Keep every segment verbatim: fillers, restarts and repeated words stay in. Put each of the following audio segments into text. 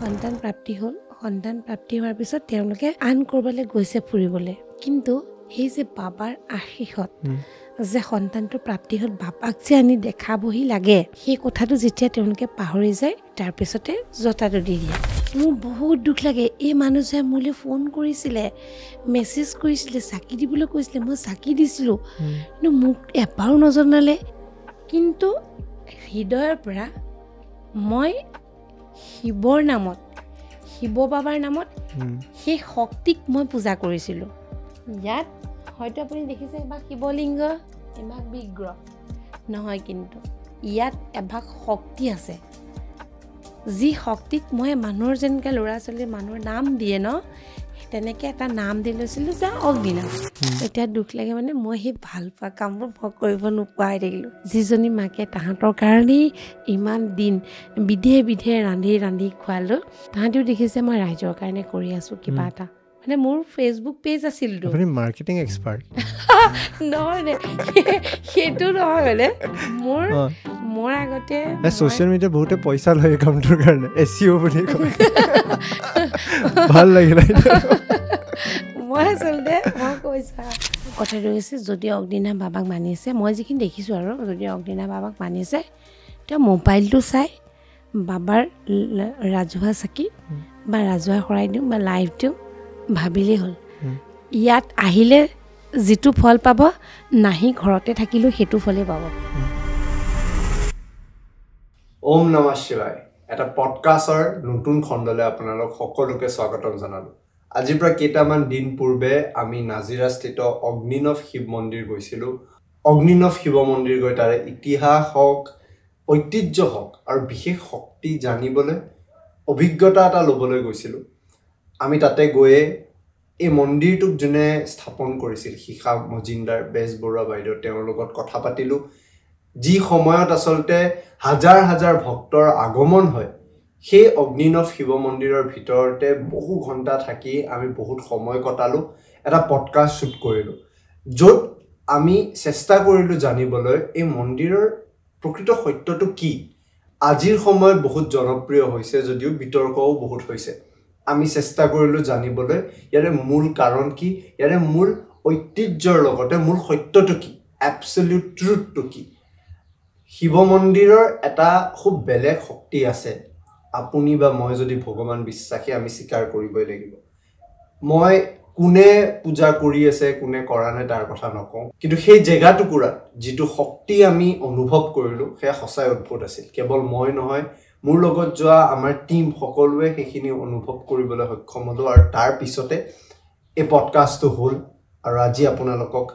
সন্তান প্ৰাপ্তি হ'ল। সন্তান প্ৰাপ্তি হোৱাৰ পিছত তেওঁলোকে আন ক'ৰবালৈ গৈছে ফুৰিবলৈ, কিন্তু সেই যে বাবাৰ আশীষত যে সন্তানটো প্ৰাপ্তি হ'ল, বাবাক যে আনি দেখাবহি লাগে, সেই কথাটো যেতিয়া তেওঁলোকে পাহৰি যায়, তাৰপিছতে জতাটো দি দিয়ে। মোৰ বহুত দুখ লাগে। এই মানুহজনে মোলৈ ফোন কৰিছিলে, মেছেজ কৰিছিলে, চাকি দিবলৈ কৈছিলে, মই চাকি দিছিলোঁ, কিন্তু মোক এবাৰো নজনালে। কিন্তু হৃদয়ৰ পৰা মই শিৱৰ নামত, শিৱ বাবাৰ নামত সেই শক্তিক মই পূজা কৰিছিলোঁ। ইয়াত হয়তো আপুনি দেখিছে এভাগ শিৱলিংগ, এভাগ বিগ্ৰহ নহয়, কিন্তু ইয়াত এভাগ শক্তি আছে, যি শক্তিক মই মানুহৰ যেনেকৈ ল'ৰা ছোৱালীৰ মানুহৰ নাম দিয়ে ন, তেনেকৈ এটা নাম দি লৈছিলোঁ যে অগ্নিনাভ। এতিয়া দুখ লাগে, মানে মই সেই ভাল পোৱা কামবোৰ মই কৰিব নোপোৱা হৈ থাকিলোঁ। যিজনী মাকে তাহাঁতৰ কাৰণেই ইমান দিন বিধে বিধে ৰান্ধি ৰান্ধি খোৱালোঁ, তাহাঁতিও দেখিছে মই ৰাইজৰ কাৰণে কৰি আছোঁ কিবা এটা। মানে মোৰ ফেচবুক পেজ আছিলতো। আপুনি মাৰ্কেটিং এক্সপাৰ্ট নহয় নে? সেইটো নহয়, মানে মোৰ মোৰ আগতে ছ'চিয়েল মিডিয়া বহুতে পইচা লয় এই কামটোৰ কাৰণে, এছ ইউ বুলি কয়। ভাল লাগিলে। মই আচলতে মই কৈছোঁ কথাটো হৈছে, যদি অগ্নিনাভ বাবাক মানিছে, মই যিখিনি দেখিছোঁ আৰু, যদি অগ্নিনাভ বাবাক মানিছে, তেওঁ মোবাইলটো চাই বাবাৰ ৰাজহুৱা চাকি বা ৰাজহুৱা শৰাই দিওঁ বা লাইভ দিওঁ ভাবিলেই হ'ল। ইয়াত আহিলে যিটো ফল পাব, নাহি ঘৰতে থাকিলেও সেইটো ফলেই পাব। ওম নমঃ শিৱায়। এটা পডকাষ্টৰ নতুন খণ্ডলৈ আপোনালোক সকলোকে স্বাগতম জনালোঁ। আজিৰ পৰা কেইটামান দিন পূৰ্বে আমি নাজিৰাস্থিত অগ্নিনাভ শিৱ মন্দিৰ গৈছিলোঁ। অগ্নিনাভ শিৱ মন্দিৰ গৈ তাৰে ইতিহাস হওক, ঐতিহ্য হওক আৰু বিশেষ শক্তি জানিবলৈ, অভিজ্ঞতা এটা ল'বলৈ গৈছিলোঁ। আমি তাতে গৈয়ে এই মন্দিৰটোক যোনে স্থাপন কৰিছিল, শিখা মজিন্দাৰ বেজবৰুৱা বাইদেউ, তেওঁৰ লগত কথা পাতিলোঁ। যি সময়ত আচলতে হাজাৰ হাজাৰ ভক্তৰ আগমন হয়, সেই অগ্নিনাভ শিৱ মন্দিৰৰ ভিতৰতে বহু ঘণ্টা থাকি আমি বহুত সময় কটালোঁ, এটা পডকাষ্ট শ্বুট কৰিলোঁ, য'ত আমি চেষ্টা কৰিলোঁ জানিবলৈ এই মন্দিৰৰ প্ৰকৃত সত্যটো কি। আজিৰ সময়ত বহুত জনপ্ৰিয় হৈছে যদিও বিতৰ্কও বহুত হৈছে। আমি চেষ্টা কৰিলোঁ জানিবলৈ ইয়াৰে মূল কাৰণ কি, ইয়াৰে মূল ঐতিহ্যৰ লগতে মূল সত্যটো কি, এবছলিউট ট্ৰুথটো কি। শিৱ মন্দিৰৰ এটা খুব বেলেগ শক্তি আছে। আপুনি বা মই যদি ভগৱান বিশ্বাসী, আমি স্বীকাৰ কৰিবই লাগিব। মই কোনে পূজা কৰি আছে কোনে কৰা নাই তাৰ কথা নকওঁ, কিন্তু সেই জেগা টুকুৰাত যিটো শক্তি আমি অনুভৱ কৰিলোঁ সেয়া সঁচাই অদ্ভুত আছিল। কেৱল মই নহয়, মোৰ লগত যোৱা আমাৰ টীম সকলোৱে সেইখিনি অনুভৱ কৰিবলৈ সক্ষম হ'লোঁ। আৰু তাৰ পিছতে এই পডকাষ্টটো হ'ল। আৰু আজি আপোনালোকক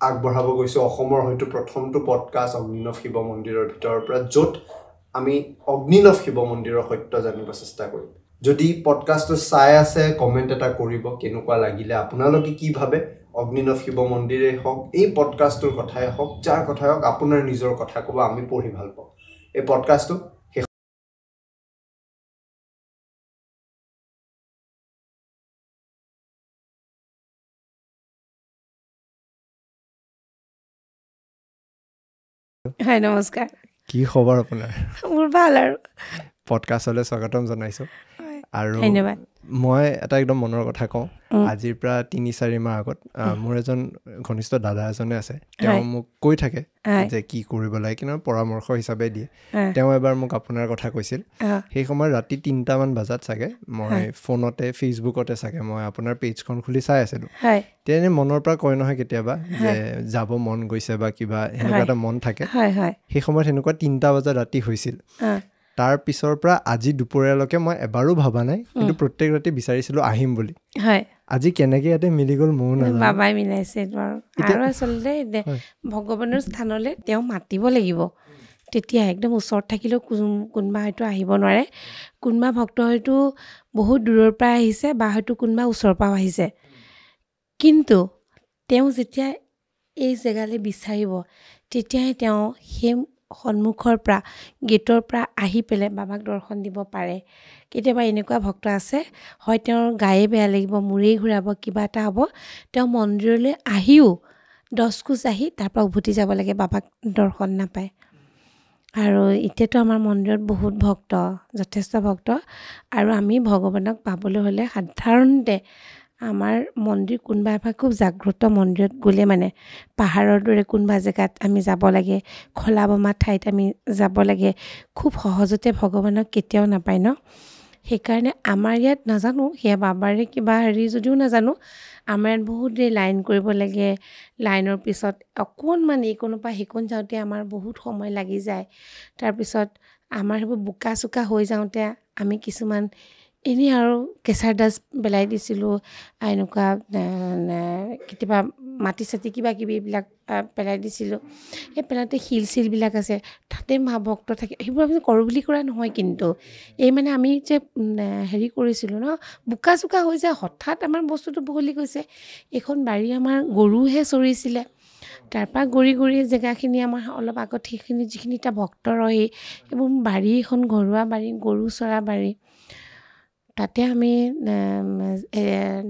আগবঢ়াব গৈছোঁ অসমৰ হয়তো প্ৰথমটো পডকাষ্ট অগ্নিনাভ শিৱ মন্দিৰৰ ভিতৰৰ পৰা, য'ত আমি অগ্নিনাভ শিৱ মন্দিৰৰ সত্য জানিব চেষ্টা কৰিম। যদি পডকাষ্টটো চাই আছে, কমেণ্ট এটা কৰিব কেনেকুৱা লাগিলে, আপোনালোকে কি ভাবে অগ্নিনাভ শিৱ মন্দিৰেই হওক, এই পডকাষ্টটোৰ কথাই হওক, যাৰ কথাই হওক, আপোনাৰ নিজৰ কথা ক'ব, আমি পঢ়ি ভাল পাওঁ। এই পডকাষ্টটো হয়। নমস্কাৰ, কি খবৰ আপোনাৰ? মোৰ ভাল। আৰু পডকাষ্টলৈ স্বাগতম জনাইছোঁ। আৰু ধন্যবাদ। মই এটা একদম মনৰ কথা কওঁ, আজিৰ পৰা তিনি চাৰি মাহ আগত মোৰ এজন ঘনিষ্ঠ দাদা এজনে আছে, তেওঁ মোক কৈ থাকে যে কি কৰিব লাগে, কিন্তু পৰামৰ্শ হিচাপে দিয়ে। তেওঁ এবাৰ মোক আপোনাৰ কথা কৈছিল। সেই সময়ত ৰাতি তিনিটামান বজাত চাগে মই ফোনতে ফেচবুকতে চাগে মই আপোনাৰ পেজখন খুলি চাই আছিলোঁ। তেনে মনৰ পৰা কয় নহয় কেতিয়াবা যে যাব মন গৈছে বা কিবা সেনেকুৱা এটা মন থাকে, সেই সময়ত সেনেকুৱা তিনিটা বজাত ৰাতি হৈছিল। তাৰ পিছৰ পৰা আজি দুপৰীয়ালৈকে মই এবাৰো ভবা নাই, কিন্তু প্ৰত্যেক ৰাতি বিচাৰিছিলোঁ আহিম বুলি। আজি কেনেকৈ ইয়াতে মিলি গ'ল ময়ো নাজানো, বাবাই মিলাইছে আৰু। আৰু আচলতে ভগৱানৰ স্থানলৈ তেওঁ মাতিব লাগিব, তেতিয়া একদম ওচৰত থাকিলেও কোনোবা হয়তো আহিব নোৱাৰে। কোনোবা ভক্ত হয়তো বহুত দূৰৰ পৰা আহিছে বা হয়তো কোনোবা ওচৰৰ পৰাও আহিছে, কিন্তু তেওঁ যেতিয়া এই জেগালৈ বিচাৰিব, তেতিয়াহে তেওঁ সেই সন্মুখৰ পৰা গেটৰ পৰা আহি পেলাই বাবাক দৰ্শন দিব পাৰে। কেতিয়াবা এনেকুৱা ভক্ত আছে, হয় তেওঁৰ গায়ে বেয়া লাগিব, মূৰেই ঘূৰাব, কিবা এটা হ'ব, তেওঁ মন্দিৰলৈ আহিও দহ খোজ আহি তাৰপৰা উভতি যাব লাগে, বাবাক দৰ্শন নাপায়। আৰু এতিয়াতো আমাৰ মন্দিৰত বহুত ভক্ত, যথেষ্ট ভক্ত। আৰু আমি ভগৱানক পাবলৈ হ'লে সাধাৰণতে আমাৰ মন্দিৰ কোনোবা এভাগ খুব জাগ্ৰত মন্দিৰত গ'লে মানে পাহাৰৰ দৰে কোনোবা জেগাত আমি যাব লাগে, খলা বমা ঠাইত আমি যাব লাগে, খুব সহজতে ভগৱানক কেতিয়াও নাপায় ন। সেইকাৰণে আমাৰ ইয়াত নাজানো সেয়া বাবাৰে কিবা হেৰি যদিও নাজানো, আমাৰ ইয়াত বহুত দেৰি লাইন কৰিব লাগে। লাইনৰ পিছত অকণমান এইকণৰ পৰা সেইকণ যাওঁতে আমাৰ বহুত সময় লাগি যায়। তাৰপিছত আমাৰ সেইবোৰ বোকা চোকা হৈ যাওঁতে আমি কিছুমান এনেই আৰু কেঁচাৰ ডাষ্ট পেলাই দিছিলোঁ, এনেকুৱা কেতিয়াবা মাটি চাটি কিবা কিবি এইবিলাক পেলাই দিছিলোঁ। সেই পেলাওঁতে শিল চিলবিলাক আছে, তাতে মা ভক্ত থাকে, সেইবোৰ আমি কৰোঁ বুলি কৰা নহয়, কিন্তু এই মানে আমি যে হেৰি কৰিছিলোঁ ন, বোকা চোকা হৈ যায়, হঠাৎ আমাৰ বস্তুটো বহলি গৈছে। এইখন বাৰী আমাৰ গৰুহে চৰিছিলে, তাৰপৰা গৰি গৰি জেগাখিনি আমাৰ অলপ আগত সেইখিনি যিখিনি এতিয়া ভক্ত ৰয়, সেইবোৰ বাৰী এখন ঘৰুৱা বাৰী, গৰু চৰা বাৰী, তাতে আমি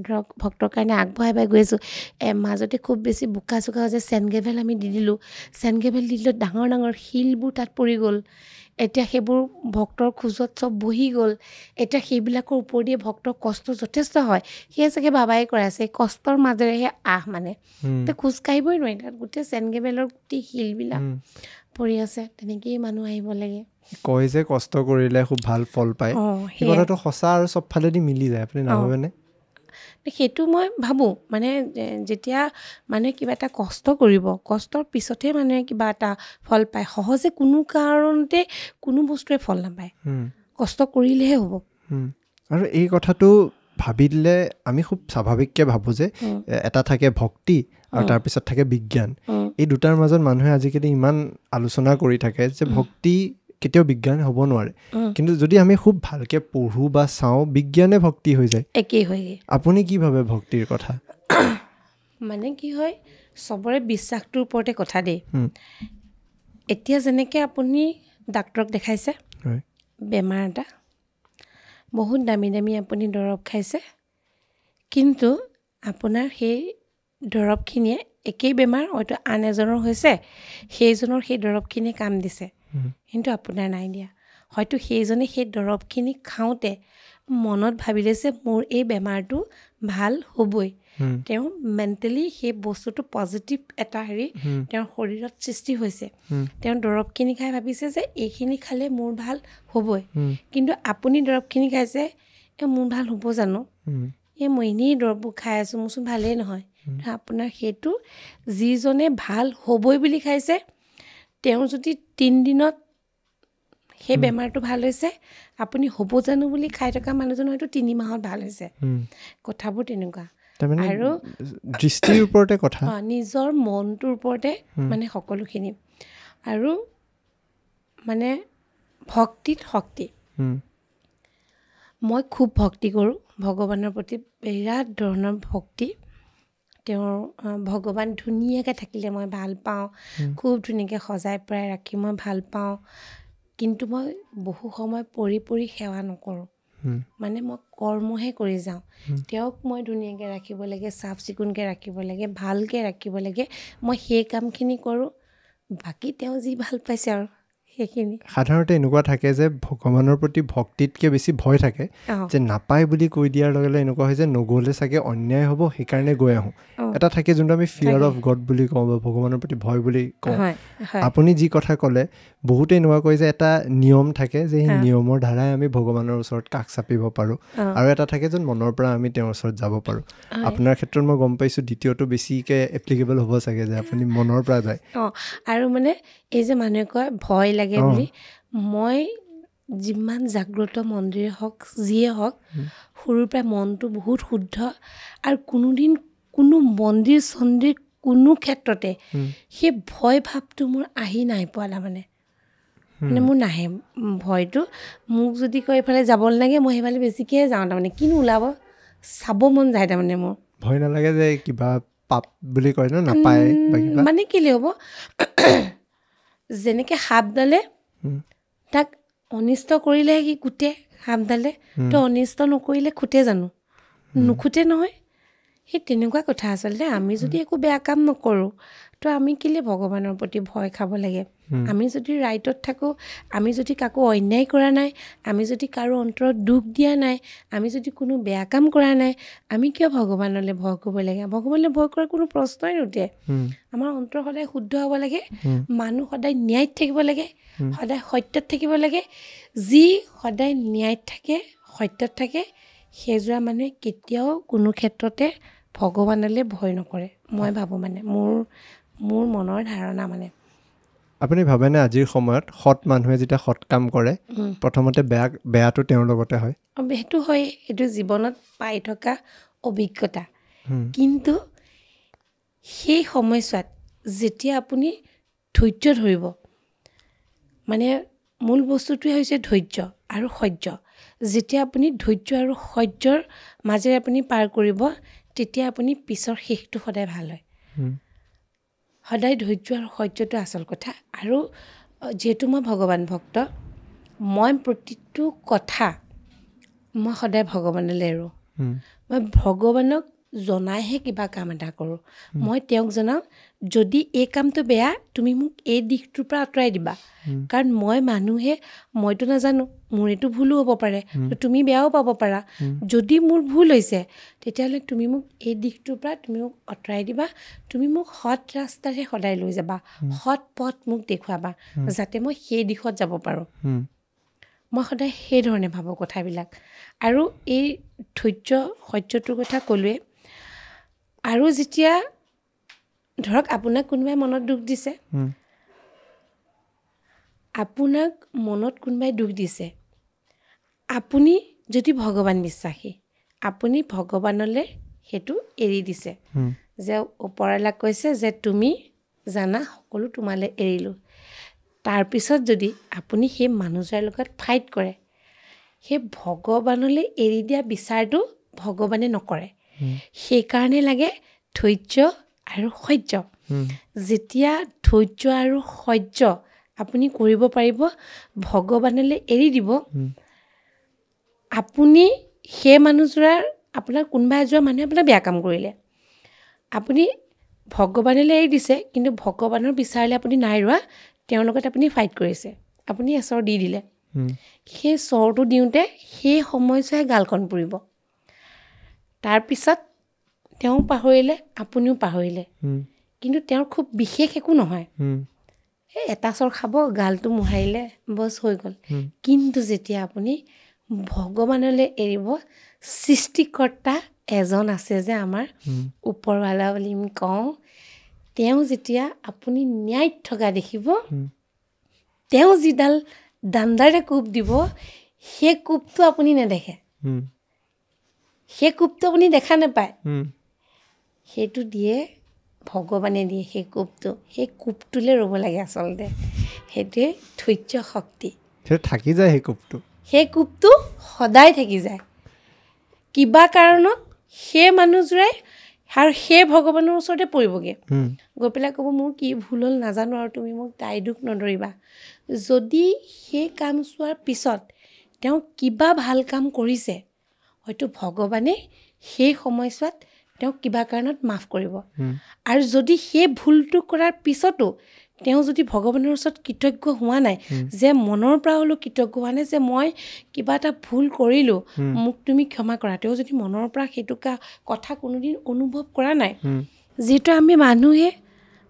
ধৰক ভক্তৰ কাৰণে আগবঢ়াই বাই গৈ আছোঁ। মাজতে খুব বেছি বোকা চোকা হৈছে, চেণ্ড গেভেল আমি দি দিলোঁ। চেণ্ড গেভেল দি দিলোঁ, ডাঙৰ ডাঙৰ শিলবোৰ তাত পৰি গ'ল। এতিয়া সেইবোৰ ভক্তৰ খোজত চব বহি গ'ল। এতিয়া সেইবিলাকৰ ওপৰেদিয়ে ভক্তৰ কষ্ট যথেষ্ট হয়। সেয়া চাগে বাবাই কৰাইছে, কষ্টৰ মাজেৰেহে আহ মানে এতিয়া খোজ কাঢ়িবই নোৱাৰি, তাত গোটেই চেণ্ড গেভেলৰ গোটেই শিলবিলাক পৰি আছে, তেনেকেই মানুহ আহিব লাগে। কয় যে কষ্ট কৰিলে খুব ভাল ফল পায়, সেই কথাটো সঁচা আৰু চবফালেদি মিলি যায়, আপুনি নাভাবেনে? সেইটো মই ভাবোঁ। মানে যেতিয়া মানুহে কিবা এটা কষ্ট কৰিব, কষ্টৰ পিছতহে মানুহে কিবা এটা ফল পায়। সহজে কোনো কাৰণতে কোনো বস্তুৱে ফল নাপায়, কষ্ট কৰিলেহে হ'ব। আৰু এই কথাটো ভাবি দিলে আমি খুব স্বাভাৱিককৈ ভাবোঁ যে এটা থাকে ভক্তি আৰু তাৰপিছত থাকে বিজ্ঞান। এই দুটাৰ মাজত মানুহে আজিকালি ইমান আলোচনা কৰি থাকে যে ভক্তি কেতিয়াও বিজ্ঞান হ'ব নোৱাৰে, কিন্তু যদি আমি খুব ভালকৈ পঢ়োঁ বা চাওঁ, বিজ্ঞানে ভক্তি হৈ যায়, একেই হৈ যায়। আপুনি কি ভাবে ভক্তিৰ কথা? মানে কি হয়, চবৰে বিশ্বাসটোৰ ওপৰতে কথা দেই। এতিয়া যেনেকৈ আপুনি ডাক্তৰক দেখাইছে বেমাৰ এটা, বহুত দামী দামী আপুনি দৰৱ খাইছে, কিন্তু আপোনাৰ সেই দৰৱখিনিয়ে একেই বেমাৰ হয়তো আন এজনৰ হৈছে, সেইজনৰ সেই দৰৱখিনিয়ে কাম দিছে, কিন্তু আপোনাৰ নাই দিয়া। হয়তো সেইজনে সেই দৰৱখিনি খাওঁতে মনত ভাবিলে যে মোৰ এই বেমাৰটো ভাল হ'বই, তেওঁ মেণ্টেলি সেই বস্তুটো পজিটিভ এটা হেৰি তেওঁৰ শৰীৰত সৃষ্টি হৈছে, তেওঁ দৰৱখিনি খাই ভাবিছে যে এইখিনি খালে মোৰ ভাল হ'বই। কিন্তু আপুনি দৰৱখিনি খাইছে, এই মোৰ ভাল হ'ব জানো, এই মই এনেই দৰৱবোৰ খাই আছোঁ, মোৰচোন ভালেই নহয়। আপোনাৰ সেইটো যিজনে ভাল হ'বই বুলি খাইছে, তেওঁ যদি তিনিদিনত সেই বেমাৰটো ভাল হৈছে, আপুনি হ'ব জানো বুলি খাই থকা মানুহজন হয়তো তিনি মাহত ভাল হৈছে। কথাবোৰ তেনেকুৱা। আৰু দৃষ্টিৰ ওপৰতে কথা, নিজৰ মনটোৰ ওপৰতে মানে সকলোখিনি। আৰু মানে ভক্তিত শক্তি। মই খুব ভক্তি কৰোঁ, ভগৱানৰ প্ৰতি বিৰাট ধৰণৰ ভক্তি। তেওঁৰ ভগৱান ধুনীয়াকৈ থাকিলে মই ভাল পাওঁ, খুব ধুনীয়াকৈ সজাই পৰাই ৰাখি মই ভাল পাওঁ। কিন্তু মই বহু সময় পৰি পৰি সেৱা নকৰোঁ, মানে মই কৰ্মহে কৰি যাওঁ। তেওঁক মই ধুনীয়াকৈ ৰাখিব লাগে, চাফ চিকুণকৈ ৰাখিব লাগে, ভালকৈ ৰাখিব লাগে, মই সেই কামখিনি কৰোঁ। বাকী তেওঁ যি ভাল পাইছে আৰু সেইখিনি। সাধাৰণতে এনেকুৱা থাকে যে ভগৱানৰ প্ৰতি ভক্তিতকৈ বেছি ভয় থাকে, যে নাপায় বুলি কৈ দিয়াৰ লগে লগে এনেকুৱা হয় যে নগ'লে চাগে অন্যায় হ'ব, সেইকাৰণে গৈ আহোঁ। এটা থাকে যোনটো আমি ফিয়াৰ অফ গড বুলি কওঁ বা ভগৱানৰ প্ৰতি ভয় বুলি কওঁ। আপুনি যি কথা ক'লে, বহুতে এনেকুৱা কয় যে এটা নিয়ম থাকে যে সেই নিয়মৰ দ্বাৰাই আমি ভগৱানৰ ওচৰত কাষ চাপিব পাৰোঁ, আৰু এটা থাকে যে মনৰ পৰা আমি তেওঁৰ ওচৰত যাব পাৰোঁ। আপোনাৰ ক্ষেত্ৰত মই গম পাইছোঁ দ্বিতীয়টো বেছিকৈ এপ্লিকেবল হ'ব চাগে, যে আপুনি মনৰ পৰা যায়। অঁ, আৰু মানে এই যে মানুহে কয় ভয় লাগে বুলি, মই যিমান জাগ্ৰত মন্দিৰে হওক যিয়ে হওক, সৰুৰ পৰাই মনটো বহুত শুদ্ধ, আৰু কোনোদিন কোনো মন্দিৰ চন্দিৰ কোনো ক্ষেত্ৰতে সেই ভয় ভাৱটো মোৰ আহি নাই পোৱা। তাৰমানে মানে মোৰ নাহে ভয়টো। মোক যদি কয় এইফালে যাব নালাগে, মই সেইফালে বেছিকৈহে যাওঁ। তাৰমানে কিনো ওলাব চাব মন যায়। তাৰমানে মোৰ ভয় নালাগে যে কিবা পাপ বুলি কয় ন, নাপায় মানে কেলৈ হ'ব। যেনেকৈ সাপডালে তাক অনিষ্ট কৰিলেহে সি কুটে, সাপডালে তো অনিষ্ট নকৰিলে খুটে জানো? নুখুটে নহয়। সেই তেনেকুৱা কথা। আচলতে আমি যদি একো বেয়া কাম নকৰোঁ, তো আমি কেলৈ ভগৱানৰ প্ৰতি ভয় খাব লাগে? আমি যদি ৰাইটত থাকোঁ, আমি যদি কাকো অন্যায় কৰা নাই, আমি যদি কাৰো অন্তৰত দুখ দিয়া নাই, আমি যদি কোনো বেয়া কাম কৰা নাই, আমি কিয় ভগৱানলৈ ভয় কৰিব লাগে? ভগৱানলৈ ভয় কৰাৰ কোনো প্ৰশ্নই নুঠে। আমাৰ অন্তৰ সদায় শুদ্ধ হ'ব লাগে, মানুহ সদায় ন্যায়ত থাকিব লাগে, সদায় সত্যত থাকিব লাগে। যি সদায় ন্যায়ত থাকে, সত্যত থাকে, সেইযোৰা মানুহে কেতিয়াও কোনো ক্ষেত্ৰতে ভগৱানলৈ ভয় নকৰে, মই ভাবোঁ। মানে মোৰ মোৰ মনৰ ধাৰণা। মানে আপুনি ভাবেনে আজিৰ সময়ত সৎ মানুহে যেতিয়া সৎ কাম কৰে, প্ৰথমতে বেয়া বেয়াটো তেওঁৰ লগতে হয়? সেইটো হয়, এইটো জীৱনত পাই থকা অভিজ্ঞতা। কিন্তু সেই সময়ছোৱাত যেতিয়া আপুনি ধৈৰ্য ধৰিব, মানে মূল বস্তুটোৱে হৈছে ধৈৰ্য আৰু সহ্য। যেতিয়া আপুনি ধৈৰ্য আৰু সহ্যৰ মাজেৰে আপুনি পাৰ কৰিব, তেতিয়া আপুনি পিছৰ শেষটো সদায় ভাল হয়। সদায় ধৈৰ্য আৰু সহ্যটো আচল কথা। আৰু যিহেতু মই ভগৱান ভক্ত, মই প্ৰতিটো কথা মই সদায় ভগৱানলৈ এৰোঁ। মই ভগৱানক জনাইহে কিবা কাম এটা কৰোঁ। মই তেওঁক জনাওঁ, যদি এই কামটো বেয়া, তুমি মোক এই দিশটোৰ পৰা আঁতৰাই দিবা, কাৰণ মই মানুহে, মইতো নাজানো, মোৰ এইটো ভুলো হ'ব পাৰে, তুমি বেয়াও পাব পাৰা। যদি মোৰ ভুল হৈছে, তেতিয়াহ'লে তুমি মোক এই দিশটোৰ পৰা তুমি মোক আঁতৰাই দিবা, তুমি মোক সৎ ৰাস্তাৰে সদায় লৈ যাবা, সৎ পথ মোক দেখুৱাবা, যাতে মই সেই দিশত যাব পাৰোঁ। মই সদায় সেইধৰণে ভাবোঁ কথাবিলাক। আৰু এই ধৈৰ্য সহ্যটোৰ কথা ক'লোৱে। আৰু যেতিয়া ধৰক আপোনাক কোনোবাই মনত দুখ দিছে, আপোনাক মনত কোনোবাই দুখ দিছে, আপুনি যদি ভগৱান বিশ্বাসী, আপুনি ভগৱানলৈ সেইটো এৰি দিছে, যে ওপৰৱালাক কৈছে যে তুমি জানা সকলো তোমালৈ এৰিলোঁ। তাৰপিছত যদি আপুনি সেই মানুহজনৰ লগত ফাইট কৰে, সেই ভগৱানলৈ এৰি দিয়া বিচাৰটো ভগৱানে নকৰে। সেইকাৰণে লাগে ধৈৰ্য আৰু সহ্য। যেতিয়া ধৈৰ্য আৰু সহ্য আপুনি কৰিব পাৰিব, ভগৱানলৈ এৰি দিব, আপুনি সেই মানুহযোৰাৰ, আপোনাৰ কোনোবা এযোৰা মানুহে আপোনাক বেয়া কাম কৰিলে, আপুনি ভগৱানলৈ এৰি দিছে, কিন্তু ভগৱানৰ বিচাৰলৈ আপুনি নাই ৰোৱা, তেওঁৰ লগত আপুনি ফাইট কৰিছে, আপুনি এচৰ দি দিলে। সেই চৰটো দিওঁতে সেই সময়ছোৱাই গালখন পুৰিব। তাৰপিছত তেওঁ পাহৰিলে, আপুনিও পাহৰিলে, কিন্তু তেওঁৰ খুব বিশেষ একো নহয়, এই এটা চৰ খাব, গালটো মোহাৰিলে, বছ হৈ গ'ল। কিন্তু যেতিয়া আপুনি ভগৱানলৈ এৰিব, সৃষ্টিকৰ্তা এজন আছে যে আমাৰ ওপৰৱালা বুলি আমি কওঁ, তেওঁ যেতিয়া আপুনি ন্যায়ত থকা দেখিব, তেওঁ যিডাল দাণ্ডাৰে কোব দিব, সেই কোবটো আপুনি নেদেখে, সেই কোবটো আপুনি দেখা নাপায়, সেইটো দিয়ে ভগৱানে দিয়ে সেই কোবটো। সেই কোবটোলৈ ৰ'ব লাগে আচলতে, সেইটোৱে ধৈৰ্য শক্তি। থাকি যায় সেই কোবটো, সেই কোবটো সদায় থাকি যায়। কিবা কাৰণত সেই মানুহযোৰাই আৰু সেই ভগৱানৰ ওচৰতে পৰিবগৈ, গৈ পেলাই ক'ব মোৰ কি ভুল হ'ল নাজানো, আৰু তুমি মোক দায় দোষ নধৰিবা। যদি সেই কাম চোৱাৰ পিছত তেওঁ কিবা ভাল কাম কৰিছে, হয়তো ভগৱানে সেই সময়ছোৱাত তেওঁক কিবা কাৰণত মাফ কৰিব। আৰু যদি সেই ভুলটো কৰাৰ পিছতো তেওঁ যদি ভগৱানৰ ওচৰত কৃতজ্ঞ হোৱা নাই, যে মনৰ পৰা হ'লেও কৃতজ্ঞ হোৱা নাই, যে মই কিবা এটা ভুল কৰিলোঁ, মোক তুমি ক্ষমা কৰা, তেওঁ যদি মনৰ পৰা সেইটো কথা কোনোদিন অনুভৱ কৰা নাই, যিহেতু আমি মানুহে,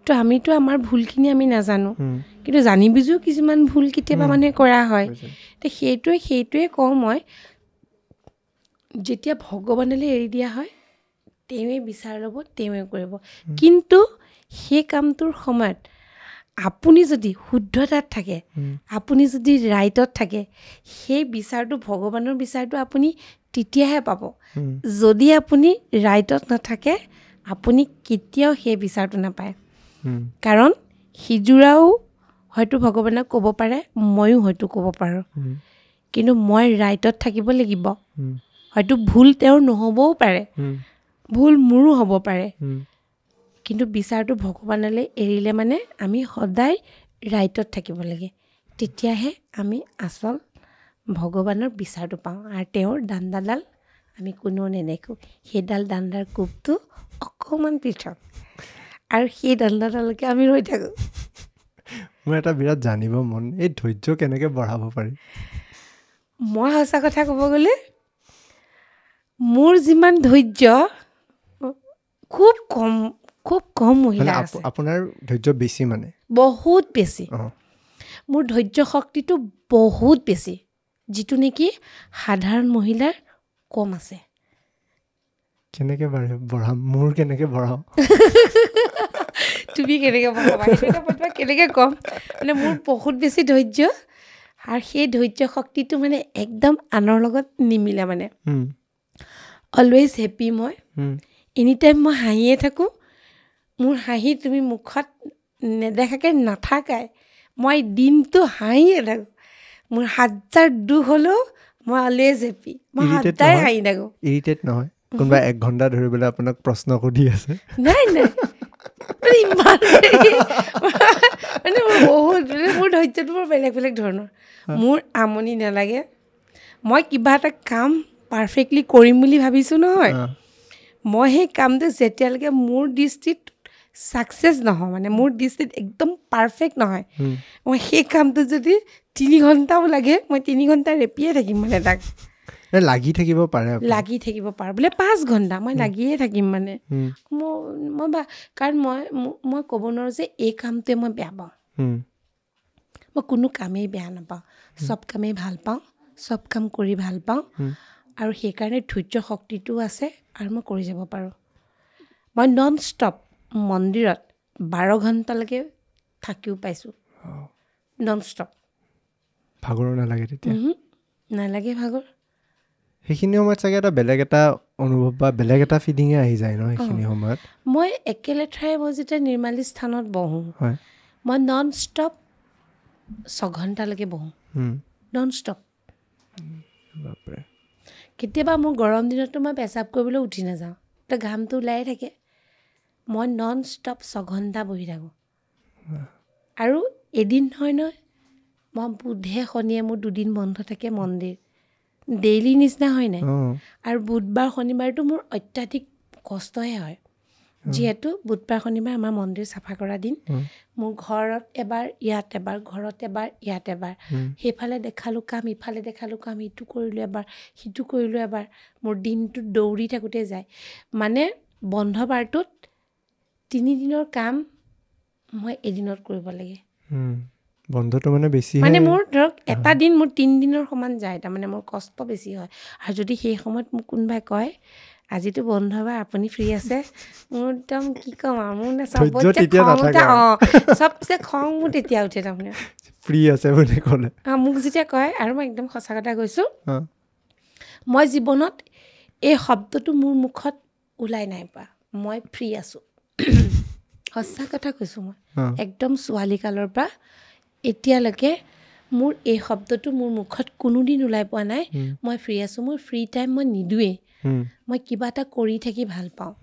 তো আমিতো আমাৰ ভুলখিনি আমি নাজানো, কিন্তু জানি বুজিও কিছুমান ভুল কেতিয়াবা মানে কৰা হয়। তো সেইটোৱে সেইটোৱে কওঁ মই, যেতিয়া ভগৱানলৈ এৰি দিয়া হয়, তেওঁৱে বিচাৰ ল'ব, তেওঁৱে কৰিব। কিন্তু সেই কামটোৰ সময়ত আপুনি যদি শুদ্ধতাত থাকে, আপুনি যদি ৰাইটত থাকে, সেই বিচাৰটো, ভগৱানৰ বিচাৰটো আপুনি তেতিয়াহে পাব। যদি আপুনি ৰাইটত নাথাকে, আপুনি কেতিয়াও সেই বিচাৰটো নাপায়। কাৰণ সিযোৰাও হয়তো ভগৱানক ক'ব পাৰে, ময়ো হয়তো ক'ব পাৰোঁ, কিন্তু মই ৰাইটত থাকিব লাগিব। হয়তো ভুল তেওঁৰ নহ'বও পাৰে, ভুল মোৰো হ'ব পাৰে, কিন্তু বিচাৰটো ভগৱানলৈ এৰিলে মানে আমি সদায় ৰাইটত থাকিব লাগে, তেতিয়াহে আমি আচল ভগৱানৰ বিচাৰটো পাওঁ। আৰু তেওঁৰ দাণ্ডাডাল আমি কোনেও নেদেখোঁ, সেইডাল দাণ্ডাৰ কোবটো অকণমান পৃথক। আৰু সেই দণ্ডডালকে আমি ৰৈ থাকোঁ। মোৰ এটা বিৰাট জানিব মন, এই ধৈৰ্য কেনেকৈ বঢ়াব পাৰি? মই সঁচা কথা ক'ব গ'লে মোৰ যিমান ধৈৰ্য খুব কম, খুব কম মহিলা আছে। আপোনাৰ ধৈৰ্য বেছি মানে? বহুত বেছি। মোৰ ধৈৰ্য শক্তিটো বহুত বেছি, যিটো নেকি সাধাৰণ মহিলাৰ কম আছে। কেনেকৈ বঢ়াম? মোৰ কেনেকৈ বঢ়াওঁ? তুমি কেনেকৈ বঢ়াবা সেইটো কেনেকৈ ক'ম? মানে মোৰ বহুত বেছি ধৈৰ্য, আৰু সেই ধৈৰ্য শক্তিটো মানে একদম আনৰ লগত নিমিলে। মানে অলৱেজ হেপী মই, এনি টাইম মই হাঁহিয়ে থাকোঁ। মোৰ হাঁহি তুমি মুখত নেদেখাকৈ নাথাকাই, মই দিনটো হাঁহিয়ে থাকোঁ। মোৰ হাজাৰ দুখ হ'লেও মই অলৱেজ হেপী, মই সদায় হাঁহি থাকোঁ। ইৰিটেট নহয়? কোনোবা এক ঘণ্টা ধৰি পেলাই আপোনাক প্ৰশ্ন সুধি আছে? নাই নাই, ইমান মানে মোৰ বহুত, মোৰ ধৈৰ্যটো বৰ বেলেগ বেলেগ ধৰণৰ। মোৰ আমনি নালাগে। মই কিবা এটা কাম পাৰফেক্টলি কৰিম বুলি ভাবিছোঁ নহয়, মই সেই কামটো যেতিয়ালৈকে মোৰ দৃষ্টিত ছাকচেছ নহয়, মানে মোৰ দৃষ্টিত একদম পাৰফেক্ট নহয়, মই সেই কামটো যদি তিনি ঘণ্টাও লাগে মই তিনি ঘণ্টা ৰেপিয়ে থাকিম। মানে তাক লাগি থাকিব পাৰে, লাগি থাকিব পাৰোঁ বোলে পাঁচ ঘণ্টা মই লাগিয়ে থাকিম। মানে মোৰ মই বা কাৰণ মই মই ক'ব নোৱাৰোঁ যে এই কামটোৱে মই বেয়া পাওঁ। মই কোনো কামেই বেয়া নাপাওঁ, চব কামেই ভাল পাওঁ, চব কাম কৰি ভাল পাওঁ। আৰু সেইকাৰণে ধৈৰ্য শক্তিটোও আছে আৰু মই কৰি যাব পাৰোঁ। মই নন ষ্টপ মন্দিৰত বাৰ ঘণ্টালৈকে থাকিও পাইছোঁ, নন ষ্টপ। ভাগৰো নালাগে তেতিয়া? নালাগে ভাগৰ। সেইখিনি সময়ত চাগে এটা বেলেগ এটা অনুভৱ বা বেলেগ এটা ফিলিঙে আহি যায় ন সেইখিনি সময়ত? মই একেলেঠাৰে মই যেতিয়া নিৰ্মালী স্থানত বহোঁ, মই নন ষ্টপ ছঘণ্টালৈকে বহোঁ, নন ষ্টপ। বাপৰে। কেতিয়াবা মোৰ গৰম দিনততো মই পেচাব কৰিবলৈ উঠি নাযাওঁ, তো ঘামটো ওলায়ে থাকে। মই নন ষ্টপ ছঘণ্টা বহি থাকোঁ। আৰু এদিন নহয় নহয়, মই বুধে শনিয়ে মোৰ দুদিন বন্ধ থাকে মন্দিৰ, ডেইলি নিচিনা হয় নাই। আৰু বুধবাৰ শনিবাৰটো মোৰ অত্যাধিক কষ্টহে হয়, যিহেতু বুধবাৰ শনিবাৰ আমাৰ মন্দিৰ চাফা কৰা দিন। মোৰ ঘৰত এবাৰ, ইয়াত এবাৰ, ঘৰত এবাৰ, ইয়াত এবাৰ, সেইফালে দেখালোঁ কাম, ইফালে দেখালোঁ কাম, ইটো কৰিলোঁ এবাৰ, সিটো কৰিলোঁ এবাৰ, মোৰ দিনটো দৌৰি থাকোঁতে যায়। মানে বন্ধ বাৰটোত তিনিদিনৰ কাম মই এদিনত কৰিব লাগে। বন্ধটো মানে বেছি, মানে মোৰ ধৰক এটা দিন মোৰ তিনিদিনৰ সমান যায়, তাৰমানে মোৰ কষ্ট বেছি হয়। আৰু যদি সেই সময়ত মোক কোনোবাই কয় আজিতো বন্ধ বা আপুনি ফ্ৰী আছে, মোৰ একদম কি ক'ম আৰু, মোৰ চবতছে খং উঠে। অঁ, চবচে খং মোৰ তেতিয়া উঠে তাৰমানে, ফ্ৰী আছে বুলি ক'লে। অঁ, মোক যেতিয়া কয়, আৰু মই একদম সঁচা কথা কৈছোঁ, মই জীৱনত এই শব্দটো মোৰ মুখত ওলাই নাই পোৱা, মই ফ্ৰী আছোঁ। সঁচা কথা কৈছোঁ, মই একদম ছোৱালীকালৰ পৰা এতিয়ালৈকে মোৰ এই শব্দটো মোৰ মুখত কোনোদিন ওলাই পোৱা নাই, মই ফ্ৰী আছোঁ। মোৰ ফ্ৰী টাইম মই নিদিওঁৱেই, মই কিবা এটা কৰি থাকি ভাল পাওঁ।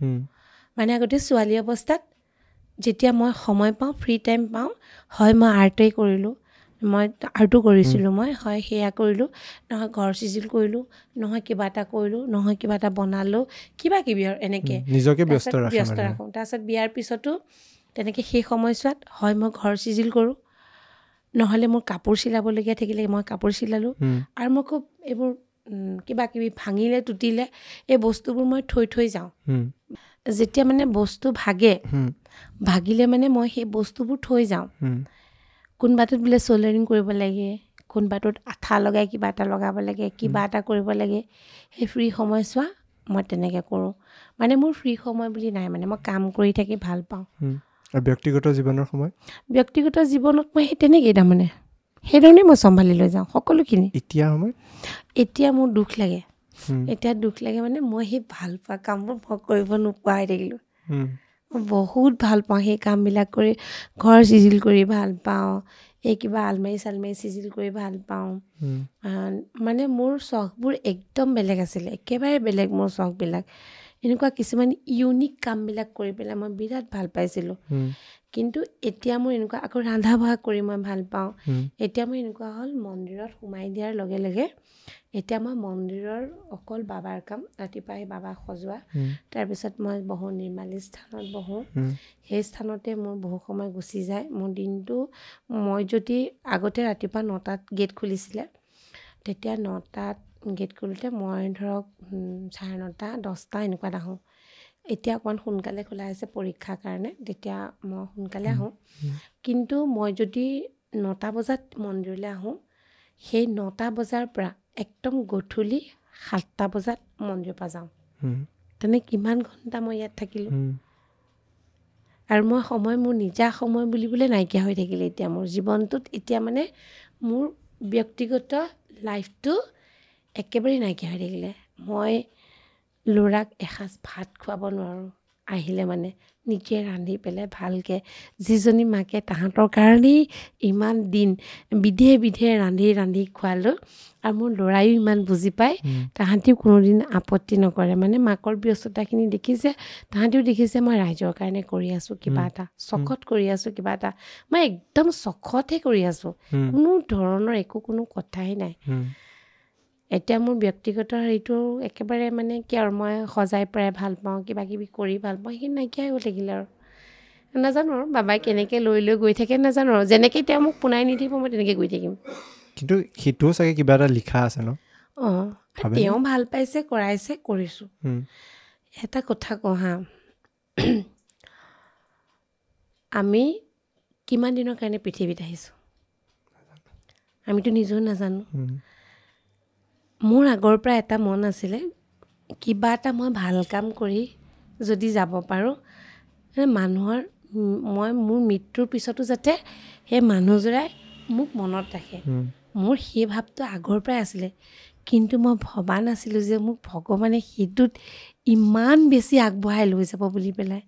মানে আগতে ছোৱালী অৱস্থাত যেতিয়া মই সময় পাওঁ, ফ্ৰী টাইম পাওঁ, হয় মই আৰ্টেই কৰিলোঁ, মই আৰ্টো কৰিছিলোঁ, মই হয় সেয়া কৰিলোঁ, নহয় ঘৰ চিজিল কৰিলোঁ, নহয় কিবা এটা কৰিলোঁ, নহয় কিবা এটা বনালোঁ, কিবা কিবি আৰু এনেকৈ নিজকে ব্যস্ত ব্যস্ত ৰাখোঁ। তাৰপিছত বিয়াৰ পিছতো তেনেকৈ সেই সময়ছোৱাত হয় মই ঘৰ চিজিল কৰোঁ, নহ'লে মোৰ কাপোৰ চিলাবলগীয়া থাকিলে মই কাপোৰ চিলালোঁ। আৰু মই খুব এইবোৰ কিবা কিবি ভাঙিলে টুটিলে এই বস্তুবোৰ মই থৈ থৈ যাওঁ। যেতিয়া মানে বস্তু ভাগে, ভাগিলে মানে মই সেই বস্তুবোৰ থৈ যাওঁ। কোনোবাটোত বোলে চ'ল্ডাৰিং কৰিব লাগে, কোনোবাটোত আঠা লগাই কিবা এটা লগাব লাগে, কিবা এটা কৰিব লাগে, সেই ফ্ৰী সময়ছোৱা মই তেনেকৈ কৰোঁ। মানে মোৰ ফ্ৰী সময় বুলি নাই, মানে মই কাম কৰি থাকি ভাল পাওঁ। আৰু ব্যক্তিগত জীৱনৰ সময়? ব্যক্তিগত জীৱনত মই সেই তেনেকেই তাৰমানে সেইধৰণেই মই চম্ভালি লৈ যাওঁ সকলোখিনি। এতিয়া সময়? এতিয়া মোৰ দুখ লাগে, এতিয়া দুখ লাগে মানে মই সেই ভাল পোৱা কামবোৰ মই কৰিব নোপোৱা হৈ থাকিলোঁ। মই বহুত ভাল পাওঁ সেই কামবিলাক কৰি, ঘৰ চিজিল কৰি ভাল পাওঁ, এই কিবা আলমাৰি চালমাৰি চিজিল কৰি ভাল পাওঁ। মানে মোৰ চখবোৰ একদম বেলেগ আছিলে, একেবাৰে বেলেগ মোৰ চখবিলাক। এনেকুৱা কিছুমান ইউনিক কামবিলাক কৰি পেলাই মই বিৰাট ভাল পাইছিলোঁ। কিন্তু এতিয়া মোৰ এনেকুৱা আকৌ ৰন্ধা বঢ়া কৰি মই ভাল পাওঁ। এতিয়া মোৰ এনেকুৱা হ'ল, মন্দিৰত সোমাই দিয়াৰ লগে লগে এতিয়া মই মন্দিৰৰ অকল বাবাৰ কাম, ৰাতিপুৱা আহি বাবাক সজোৱা, তাৰপিছত মই বহোঁ নিৰ্মালী স্থানত বহোঁ, সেই স্থানতে মোৰ বহু সময় গুচি যায় মোৰ দিনটো। মই যদি আগতে ৰাতিপুৱা নটাত গেট খুলিছিলে, তেতিয়া নটাত গেট খোলোঁতে মই ধৰক চাৰে নটা দহটা এনেকুৱাত আহোঁ। এতিয়া অকণমান সোনকালে খোলা হৈছে পৰীক্ষাৰ কাৰণে, তেতিয়া মই সোনকালে আহোঁ। কিন্তু মই যদি নটা বজাত মন্দিৰলৈ আহোঁ, সেই নটা বজাৰ পৰা একদম গধূলি সাতটা বজাত মন্দিৰৰ পৰা যাওঁ। তেনে কিমান ঘণ্টা মই ইয়াত থাকিলোঁ। আৰু মই সময় মোৰ নিজা সময় বুলিবলৈ নাইকিয়া হৈ থাকিলে এতিয়া মোৰ জীৱনটোত। এতিয়া মানে মোৰ ব্যক্তিগত লাইফটো একেবাৰেই নাইকিয়া হৈ থাকিলে। মই ল'ৰাক এসাঁজ ভাত খুৱাব নোৱাৰোঁ আহিলে, মানে নিজে ৰান্ধি পেলাই ভালকৈ, যিজনী মাকে তাহাঁতৰ কাৰণেই ইমান দিন বিধে বিধে ৰান্ধি ৰান্ধি খোৱালোঁ, আৰু মোৰ ল'ৰায়ো ইমান বুজি পায়, তাহাঁতিও কোনোদিন আপত্তি নকৰে। মানে মাকৰ ব্যস্ততাখিনি দেখিছে, তাহাঁতিও দেখিছে মই ৰাইজৰ কাৰণে কৰি আছোঁ কিবা এটা, চখত কৰি আছোঁ কিবা এটা, মই একদম চখতহে কৰি আছোঁ, কোনো ধৰণৰ একো কোনো কথাই নাই। এতিয়া মোৰ ব্যক্তিগত হেৰিটো একেবাৰে মানে কি আৰু, মই সজাই পৰাই ভাল পাওঁ, কিবা কিবি কৰি ভাল পাওঁ, সেইখিনি নাইকিয়া হৈ থাকিলে আৰু। নাজানো আৰু বাবাই কেনেকৈ লৈ লৈ গৈ থাকে নাজানো আৰু, যেনেকৈ তেওঁ মোক পোনাই নিদিব মই তেনেকৈ গৈ থাকিম। কিন্তু সেইটোও চাগে কিবা এটা লিখা আছে ন? অঁ, তেওঁ ভাল পাইছে, কৰাইছে, কৰিছোঁ। এটা কথা কওঁ হা, আমি কিমান দিনৰ কাৰণে পৃথিৱীত আহিছোঁ আমিতো নিজেও নাজানো। মোৰ আগৰ পৰা এটা মন আছিলে, কিবা এটা মই ভাল কাম কৰি যদি যাব পাৰোঁ, মানুহৰ মই মোৰ মৃত্যুৰ পিছতো যাতে সেই মানুহযোৰাই মোক মনত ৰাখে, মোৰ সেই ভাৱটো আগৰ পৰাই আছিলে। কিন্তু মই ভবা নাছিলোঁ যে মোক ভগৱানে সেইটোত ইমান বেছি আগবঢ়াই লৈ যাব বুলি পেলাই।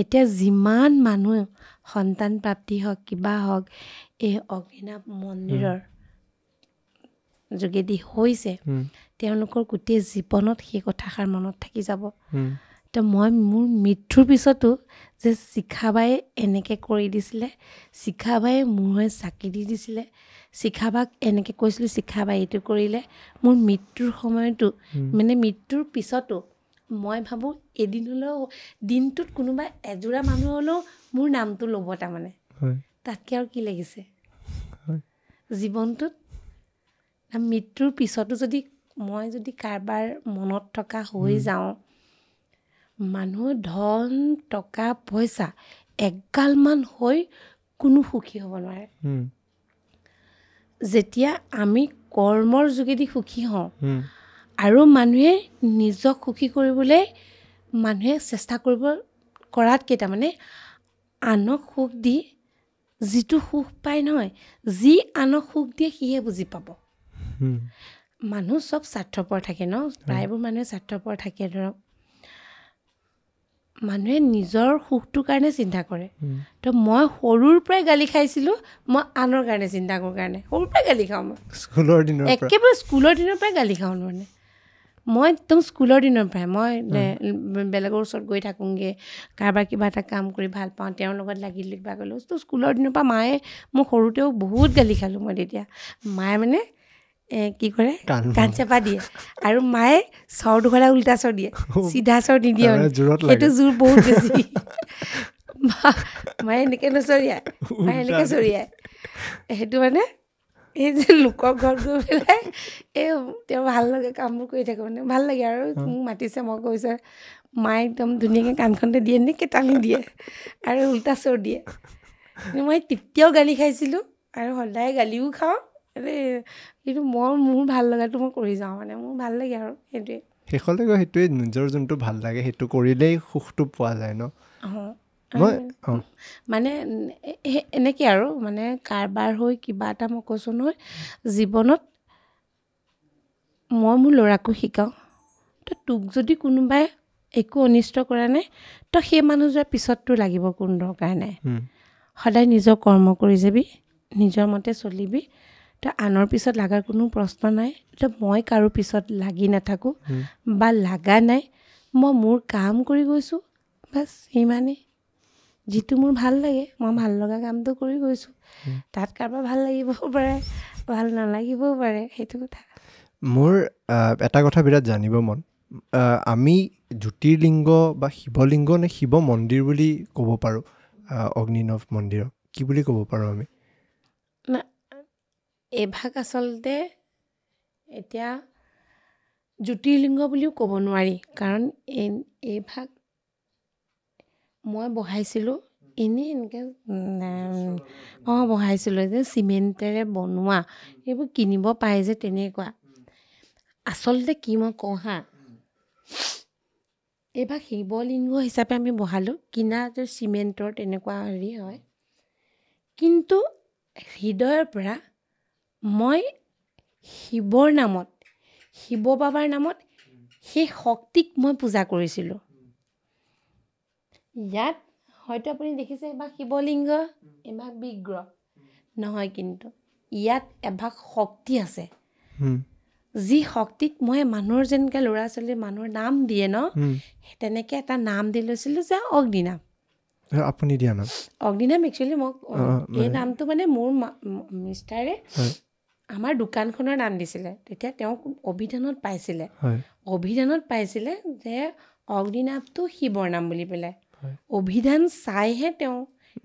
এতিয়া যিমান মানুহ সন্তান প্ৰাপ্তি হওক কিবা হওক এই অগ্নিনাভ মন্দিৰৰ যোগেদি হৈছে, তেওঁলোকৰ গোটেই জীৱনত সেই কথাষাৰ মনত থাকি যাব। তো মই মোৰ মৃত্যুৰ পিছতো যে শিখাবায়ে এনেকৈ কৰি দিছিলে, শিখাবায়ে মোৰ হৈ চাকি দি দিছিলে, শিখাবাক এনেকৈ কৈছিলোঁ, শিখাবাই এইটো কৰিলে, মোৰ মৃত্যুৰ সময়তো মানে মৃত্যুৰ পিছতো মই ভাবোঁ এদিন হ'লেও দিনটোত কোনোবা এযোৰা মানুহ হ'লেও মোৰ নামটো ল'ব। তাৰমানে তাতকৈ আৰু কি লাগিছে জীৱনটোত। মৃত্যুৰ পিছতো যদি মই যদি কাৰোবাৰ মনত থকা হৈ যাওঁ, মানুহ ধন টকা পইচা এগালমান হৈ কোনো সুখী হ'ব নোৱাৰে। যেতিয়া আমি কৰ্মৰ যোগেদি সুখী হওঁ আৰু মানুহে নিজক সুখী কৰিবলৈ মানুহে চেষ্টা কৰিব কৰাতকৈ তাৰমানে আনক সুখ দি যিটো সুখ পায় নহয়, যি আনক সুখ দিয়ে সিহে বুজি পাব। মানুহ চব স্বাৰ্থপৰ থাকে ন, প্ৰায়বোৰ মানুহে স্বাৰ্থপৰ থাকে। ধৰক মানুহে নিজৰ সুখটোৰ কাৰণে চিন্তা কৰে। তো মই সৰুৰ পৰাই গালি খাইছিলোঁ, মই আনৰ কাৰণে চিন্তা কৰোঁ কাৰণে সৰুৰ পৰাই গালি খাওঁ মই। স্কুলৰ দিনৰ একেবাৰে স্কুলৰ দিনৰ পৰাই গালি খাওঁ মানে মই একদম স্কুলৰ দিনৰ পৰাই মই বেলেগৰ ওচৰত গৈ থাকোঁগৈ, কাৰোবাৰ কিবা এটা কাম কৰি ভাল পাওঁ, তেওঁৰ লগত লাগিলোঁ কিবা কৰিলোঁ। তো স্কুলৰ দিনৰ পৰা মায়ে মোক সৰুতেও বহুত গালি খালোঁ মই। তেতিয়া মায়ে মানে কি কৰে, কাণ চেপা দিয়ে, আৰু মায়ে চৰ দুখলা উল্টা চৰ দিয়ে, চিধা চৰ নিদিয়ে মানে, সেইটো জোৰ বহুত বেছি। মায়ে এনেকৈ নচৰিয়াই, মায়ে এনেকৈ চৰিয়াই। সেইটো মানে এই যে লোকৰ ঘৰত গৈ পেলাই এই তেওঁ ভাল লাগে কামবোৰ কৰি থাকোঁ মানে ভাল লাগে আৰু। মোক মাতিছে, মই কৈছোঁ, মায়ে একদম ধুনীয়াকৈ কাণখনতে দিয়ে, এনেকৈ টানি দিয়ে আৰু উল্টা চৰ দিয়ে। মই তেতিয়াও গালি খাইছিলোঁ আৰু সদায় গালিও খাওঁ। কিন্তু মই মোৰ ভাল লগাটো মই কৰি যাওঁ, মানে মোৰ ভাল লাগে আৰু সেইটোৱে। শেষলৈ গৈ সেইটোৱে, নিজৰ যোনটো ভাল লাগে সেইটো কৰিলেই সুখটো পোৱা যায় ন। অঁ, মানে এনেকৈ আৰু মানে কাৰবাৰ হৈ কিবা এটা মই কৈছোঁ নহয়, জীৱনত মই মোৰ ল'ৰাকো শিকাওঁ, তো তোক যদি কোনোবাই একো অনিষ্ট কৰা নাই, তো সেই মানুহযোৱাৰ পিছত তোৰ লাগিব কোনো দৰকাৰ নাই। সদায় নিজৰ কৰ্ম কৰি যাবি, নিজৰ মতে চলিবি, তো আনৰ পিছত লগাৰ কোনো প্ৰশ্ন নাই। তো মই কাৰো পিছত লাগি নাথাকোঁ বা লগা নাই, মই মোৰ কাম কৰি গৈছোঁ, বাছ সিমানেই। যিটো মোৰ ভাল লাগে মই ভাল লগা কামটো কৰি গৈছোঁ, তাত কাৰোবাৰ ভাল লাগিবও পাৰে, ভাল নালাগিবও পাৰে, সেইটো কথা। মোৰ এটা কথা বিৰাট জানিব মন, আমি জ্যোতিৰ্লিংগ বা শিৱলিংগ নে শিৱ মন্দিৰ বুলি ক'ব পাৰোঁ অগ্নিনভ মন্দিৰক, কি বুলি ক'ব পাৰোঁ আমি? না, এইভাগ আচলতে এতিয়া জ্যোতিৰ্লিংগ বুলিও ক'ব নোৱাৰি, কাৰণ এই এইভাগ মই বহাইছিলোঁ এনেই এনেকৈ অঁ বহাইছিলোঁ যে চিমেণ্টেৰে বনোৱা, এইবোৰ কিনিব পায় যে তেনেকুৱা। আচলতে কি মই কওঁ হা, এইভাগ শিৱলিংগ হিচাপে আমি বহালোঁ, কিনা যে চিমেণ্টৰ তেনেকুৱা হেৰি হয়, কিন্তু হৃদয়ৰ পৰা মই শিৱৰ নামত, শিৱ বাবাৰ নামত সেই শক্তিক মই পূজা কৰিছিলোঁ। ইয়াত হয়তো আপুনি দেখিছে এভাগ শিৱলিংগ, এভাগ বিগ্ৰহ নহয়, কিন্তু ইয়াত এভাগ শক্তি আছে, যি শক্তিক মই মানুহৰ যেনেকৈ ল'ৰা ছোৱালীৰ মানুহৰ নাম দিয়ে ন, তেনেকৈ এটা নাম দি লৈছিলোঁ যে অগ্নিনাভ। আপুনি দিয়া নাম অগ্নিনাভ। একচুৱেলি মোক এই নামটো মানে মোৰ মিষ্টাৰে আমাৰ দোকানখনৰ নাম দিছিলে, তেতিয়া তেওঁক অভিধানত পাইছিলে, অভিধানত পাইছিলে যে অগ্নিনাভটো শিৱৰ নাম বুলি পেলাই। অভিধান চাইহে তেওঁ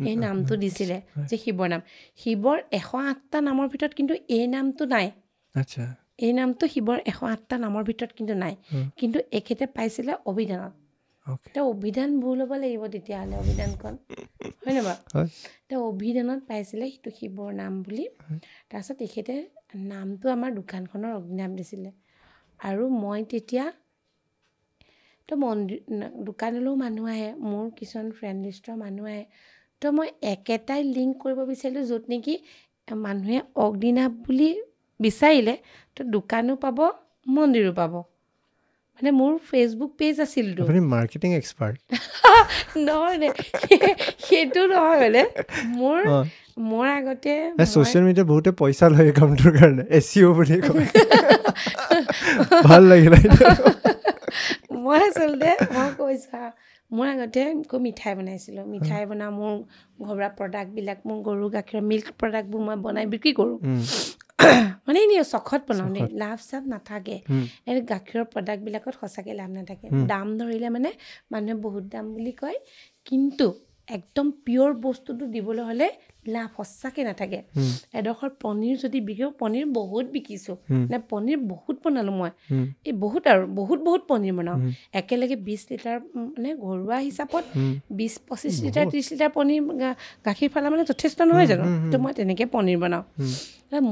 এই নামটো দিছিলে যে শিৱৰ নাম। শিৱৰ এশ আঠটা নামৰ ভিতৰত কিন্তু এই নামটো নাই। আচ্ছা, এই নামটো শিৱৰ এশ আঠটা নামৰ ভিতৰত কিন্তু নাই, কিন্তু এখেতে পাইছিলে অভিধানত। তেওঁ অভিধান ভুল হ'ব লাগিব তেতিয়াহ'লে, অভিধানখন হয়নে বাৰু? তেওঁ অভিধানত পাইছিলে সেইটো শিৱৰ নাম বুলি। তাৰপিছত তেখেতে নামটো আমাৰ দোকানখনৰ অগ্নিনাভ দিছিলে। আৰু মই তেতিয়া তো মন্দিৰ দোকানলৈও মানুহ আহে, মোৰ কিছুমান ফ্ৰেণ্ড লিষ্টৰ মানুহ আহে, তো মই একেটাই লিংক কৰিব বিচাৰিলোঁ য'ত নেকি মানুহে অগ্নিনাভ বুলি বিচাৰিলে তো দোকানো পাব, মন্দিৰো পাব। মানে মোৰ ফেচবুক পেজ আছিলতো। আপুনি মাৰ্কেটিং এক্সপাৰ্ট নহয় নে? সেইটো নহয়, মানে মোৰ মোৰ আগতে ছ'চিয়েল মিডিয়া বহুতে পইচা লয় কামটোৰ কাৰণে, এছ ইউ বুলি কয়। ভাল লাগিলে। মই আচলতে মই কৈছোঁ, মোৰ আগতে খুব মিঠাই বনাইছিলোঁ, মিঠাই বনাওঁ, মোৰ ঘৰুৱা প্ৰডাক্টবিলাক, মোৰ গৰু গাখীৰৰ মিল্ক প্ৰডাক্টবোৰ মই বনাই বিক্ৰী কৰোঁ, মানে এনেই চখত বনাওঁ দেই, লাভ চাভ নাথাকে। এই গাখীৰৰ প্ৰডাক্টবিলাকত সঁচাকৈ লাভ নাথাকে, দাম ধৰিলে মানে মানুহে বহুত দাম বুলি কয়, কিন্তু একদম পিয়'ৰ বস্তুটো দিবলৈ হ'লে লাভ সঁচাকৈ নাথাকে। এডোখৰ পনীৰ যদি বিকো, পনীৰ বহুত বিকিছোঁ, মানে পনীৰ বহুত বনালোঁ মই, এই বহুত আৰু বহুত বহুত পনীৰ বনাওঁ একেলগে বিছ লিটাৰ, মানে ঘৰুৱা হিচাপত বিছ পঁচিছ লিটাৰ ত্ৰিছ লিটাৰ পনীৰ গাখীৰ ফালা মানে যথেষ্ট নহয় জানো? তো মই তেনেকৈ পনীৰ বনাওঁ।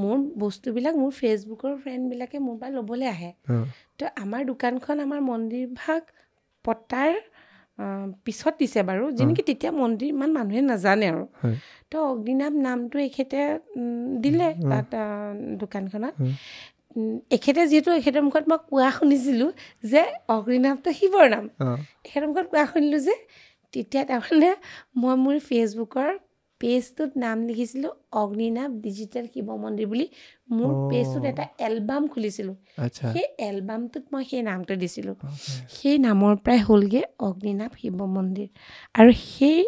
মোৰ বস্তুবিলাক মোৰ ফেচবুকৰ ফ্ৰেণ্ডবিলাকে মোৰ পৰা ল'বলৈ আহে। তো আমাৰ দোকানখন আমাৰ মন্দিৰভাগ পতাৰ পিছত দিছে বাৰু, যি নেকি তেতিয়া মন্দিৰ ইমান মানুহে নাজানে আৰু। তো অগ্নিনাভ নামটো এখেতে দিলে তাত দোকানখনত। এখেতে যিহেতু এখেতৰ মুখত মই কোৱা শুনিছিলোঁ যে অগ্নিনাভটো শিৱৰ নাম, এখেতৰ মুখত কোৱা শুনিলোঁ যে তেতিয়া তাৰমানে মই মোৰ ফেচবুকৰ পেজটোত নাম লিখিছিলোঁ অগ্নিনাভ ডিজিটেল শিৱ মন্দিৰ বুলি। মোৰ পেজটোত এটা এলবাম খুলিছিলোঁ, সেই এলবামটোত মই সেই নামটো দিছিলোঁ। সেই নামৰ পৰাই হ'লগৈ অগ্নিনাভ শিৱ মন্দিৰ। আৰু সেই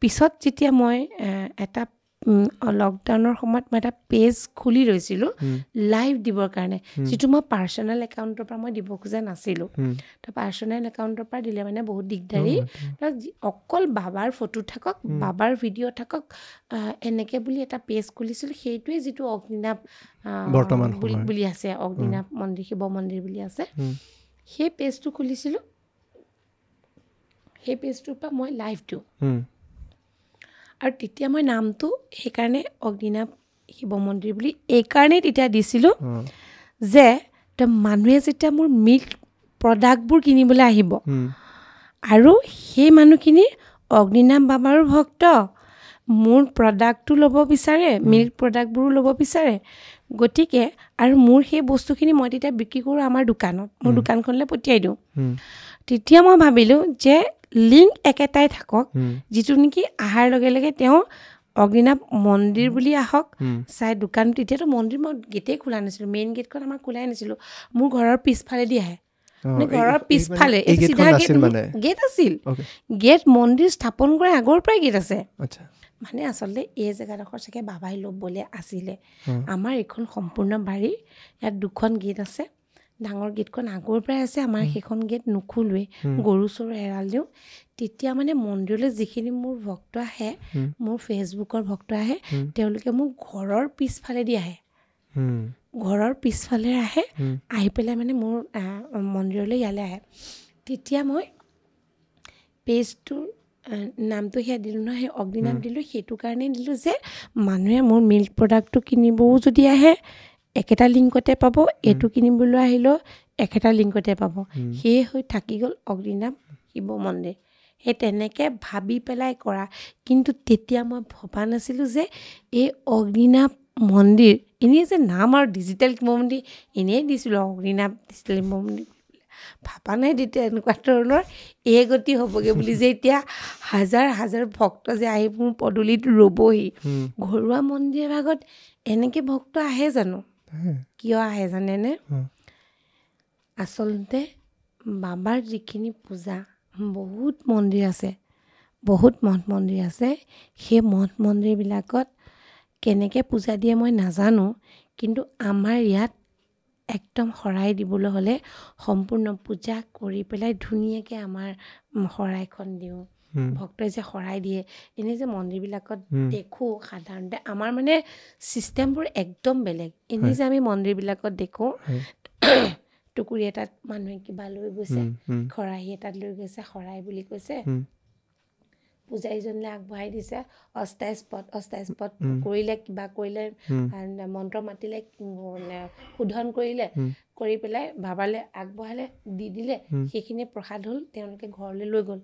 পিছত যেতিয়া মই এটা লকডাউনৰ সময়ত মই এটা পেজ খুলি লৈছিলোঁ লাইভ দিবৰ কাৰণে, যিটো মই পাৰ্চনেল একাউণ্টৰ পৰা মই দিব খোজা নাছিলোঁ। তো পাৰ্চনেল একাউণ্টৰ পৰা দিলে মানে বহুত দিগদাৰী, অকল বাবাৰ ফটো থাকক, বাবাৰ ভিডিঅ' থাকক, এনেকৈ বুলি এটা পেজ খুলিছিলোঁ। সেইটোৱে যিটো অগ্নিনাভ বুলি আছে, অগ্নিনাভ মন্দিৰ শিৱ মন্দিৰ বুলি আছে, সেই পেজটো খুলিছিলোঁ। সেই পেজটোৰ পৰা মই লাইভ দিওঁ। আৰু তেতিয়া মই নামটো সেইকাৰণে অগ্নিনাভ শিৱ মন্দিৰ বুলি এইকাৰণেই তেতিয়া দিছিলোঁ যে মানুহে যেতিয়া মোৰ মিল্ক প্ৰডাক্টবোৰ কিনিবলৈ আহিব আৰু সেই মানুহখিনি অগ্নিনাভ বাবাৰো ভক্ত, মোৰ প্ৰডাক্টটো ল'ব বিচাৰে, মিল্ক প্ৰডাক্টবোৰো ল'ব বিচাৰে, গতিকে আৰু মোৰ সেই বস্তুখিনি মই তেতিয়া বিক্ৰী কৰোঁ আমাৰ দোকানত, মোৰ দোকানখনলৈ পঠিয়াই দিওঁ। তেতিয়া মই ভাবিলোঁ যে লিংক একেটাই থাকক, যিটো নেকি অহাৰ লগে লগে তেওঁ অগ্নিনাভ মন্দিৰ বুলি আহক চাই দোকান। তেতিয়াতো মন্দিৰ মই গেটেই খোলা নাছিলোঁ, মেইন গেটখন আমাৰ খোলাই নাছিলোঁ, মোৰ ঘৰৰ পিছফালেদি আহে। মানে ঘৰৰ পিছফালে চিধা গেট আছিল, গেট মন্দিৰ স্থাপন কৰাৰ আগৰ পৰাই গেট আছে। মানে আচলতে এই জেগাডোখৰ চাগে বাবাই ল'বলৈ আছিলে। আমাৰ এইখন সম্পূৰ্ণ বাৰী, ইয়াত দুখন গেট আছে। ডাঙৰ গেটখন আগৰ পৰাই আছে, আমাৰ সেইখন গেট নোখোলোৱেই, গৰু চৰু এৰাল দিওঁ। তেতিয়া মানে মন্দিৰলৈ যিখিনি মোৰ ভক্ত আহে, মোৰ ফেচবুকৰ ভক্ত আহে, তেওঁলোকে মোৰ ঘৰৰ পিছফালেদি আহে, ঘৰৰ পিছফালে আহে, আহি পেলাই মানে মোৰ মন্দিৰলৈ ইয়ালৈ আহে। তেতিয়া মই পেজটোৰ নামটো সেয়া দিলোঁ নহয়, সেই অগ্নিনাভ দিলোঁ। সেইটো কাৰণেই দিলোঁ যে মানুহে মোৰ মিল্ক প্ৰডাক্টটো কিনিবও যদি আহে একেটা লিংকতে পাব, এইটো কিনিবলৈ আহিলেও একেটা লিংকতে পাব। সেয়ে হৈ থাকি গ'ল অগ্নিনাভ শিৱ মন্দিৰ। সেই তেনেকৈ ভাবি পেলাই কৰা। কিন্তু তেতিয়া মই ভবা নাছিলোঁ যে এই অগ্নিনাভ মন্দিৰ এনেই যে নাম আৰু ডিজিটেল শিৱ মন্দিৰ এনেই দিছিলোঁ, অগ্নিনাভ ডিজিটেল শিৱ মন্দিৰ, ভাবা নাই তেতিয়া এনেকুৱা ধৰণৰ এই গতি হ'বগৈ বুলি, যে এতিয়া হাজাৰ হাজাৰ ভক্ত যে আহি মোৰ পদূলিত ৰ'বহি। ঘৰুৱা মন্দিৰ ভাগত এনেকৈ ভক্ত আহে জানো? কিয় আহে জানেনে? আচলতে বাবাৰ যিখিনি পূজা, বহুত মন্দিৰ আছে, বহুত মঠ মন্দিৰ আছে, সেই মঠ মন্দিৰবিলাকত কেনেকৈ পূজা দিয়ে মই নাজানো, কিন্তু আমাৰ ইয়াত একদম শৰাই দিবলৈ হ'লে সম্পূৰ্ণ পূজা কৰি পেলাই ধুনীয়াকৈ আমাৰ শৰাইখন দিওঁ। ভক্তই যে শৰাই দিয়ে, এনেই যে মন্দিৰবিলাকত দেখোঁ সাধাৰণতে আমাৰ মানে ছিষ্টেমবোৰ একদম বেলেগ। এনেই যে আমি মন্দিৰবিলাকত দেখোঁ টুকুৰি এটাত মানুহে কিবা লৈ গৈছে, খৰাহী এটাত লৈ গৈছে, শৰাই বুলি কৈছে, পূজাৰীজনলৈ আগবঢ়াই দিছে, অস্থায়ী পদ অস্থায়ী পদ কৰিলে, কিবা কৰিলে, মন্ত্ৰ মাতিলে, শোধন কৰিলে, কৰি পেলাই বাবালৈ আগবঢ়ালে, দি দিলে, সেইখিনি প্ৰসাদ হ'ল, তেওঁলোকে ঘৰলৈ লৈ গ'ল।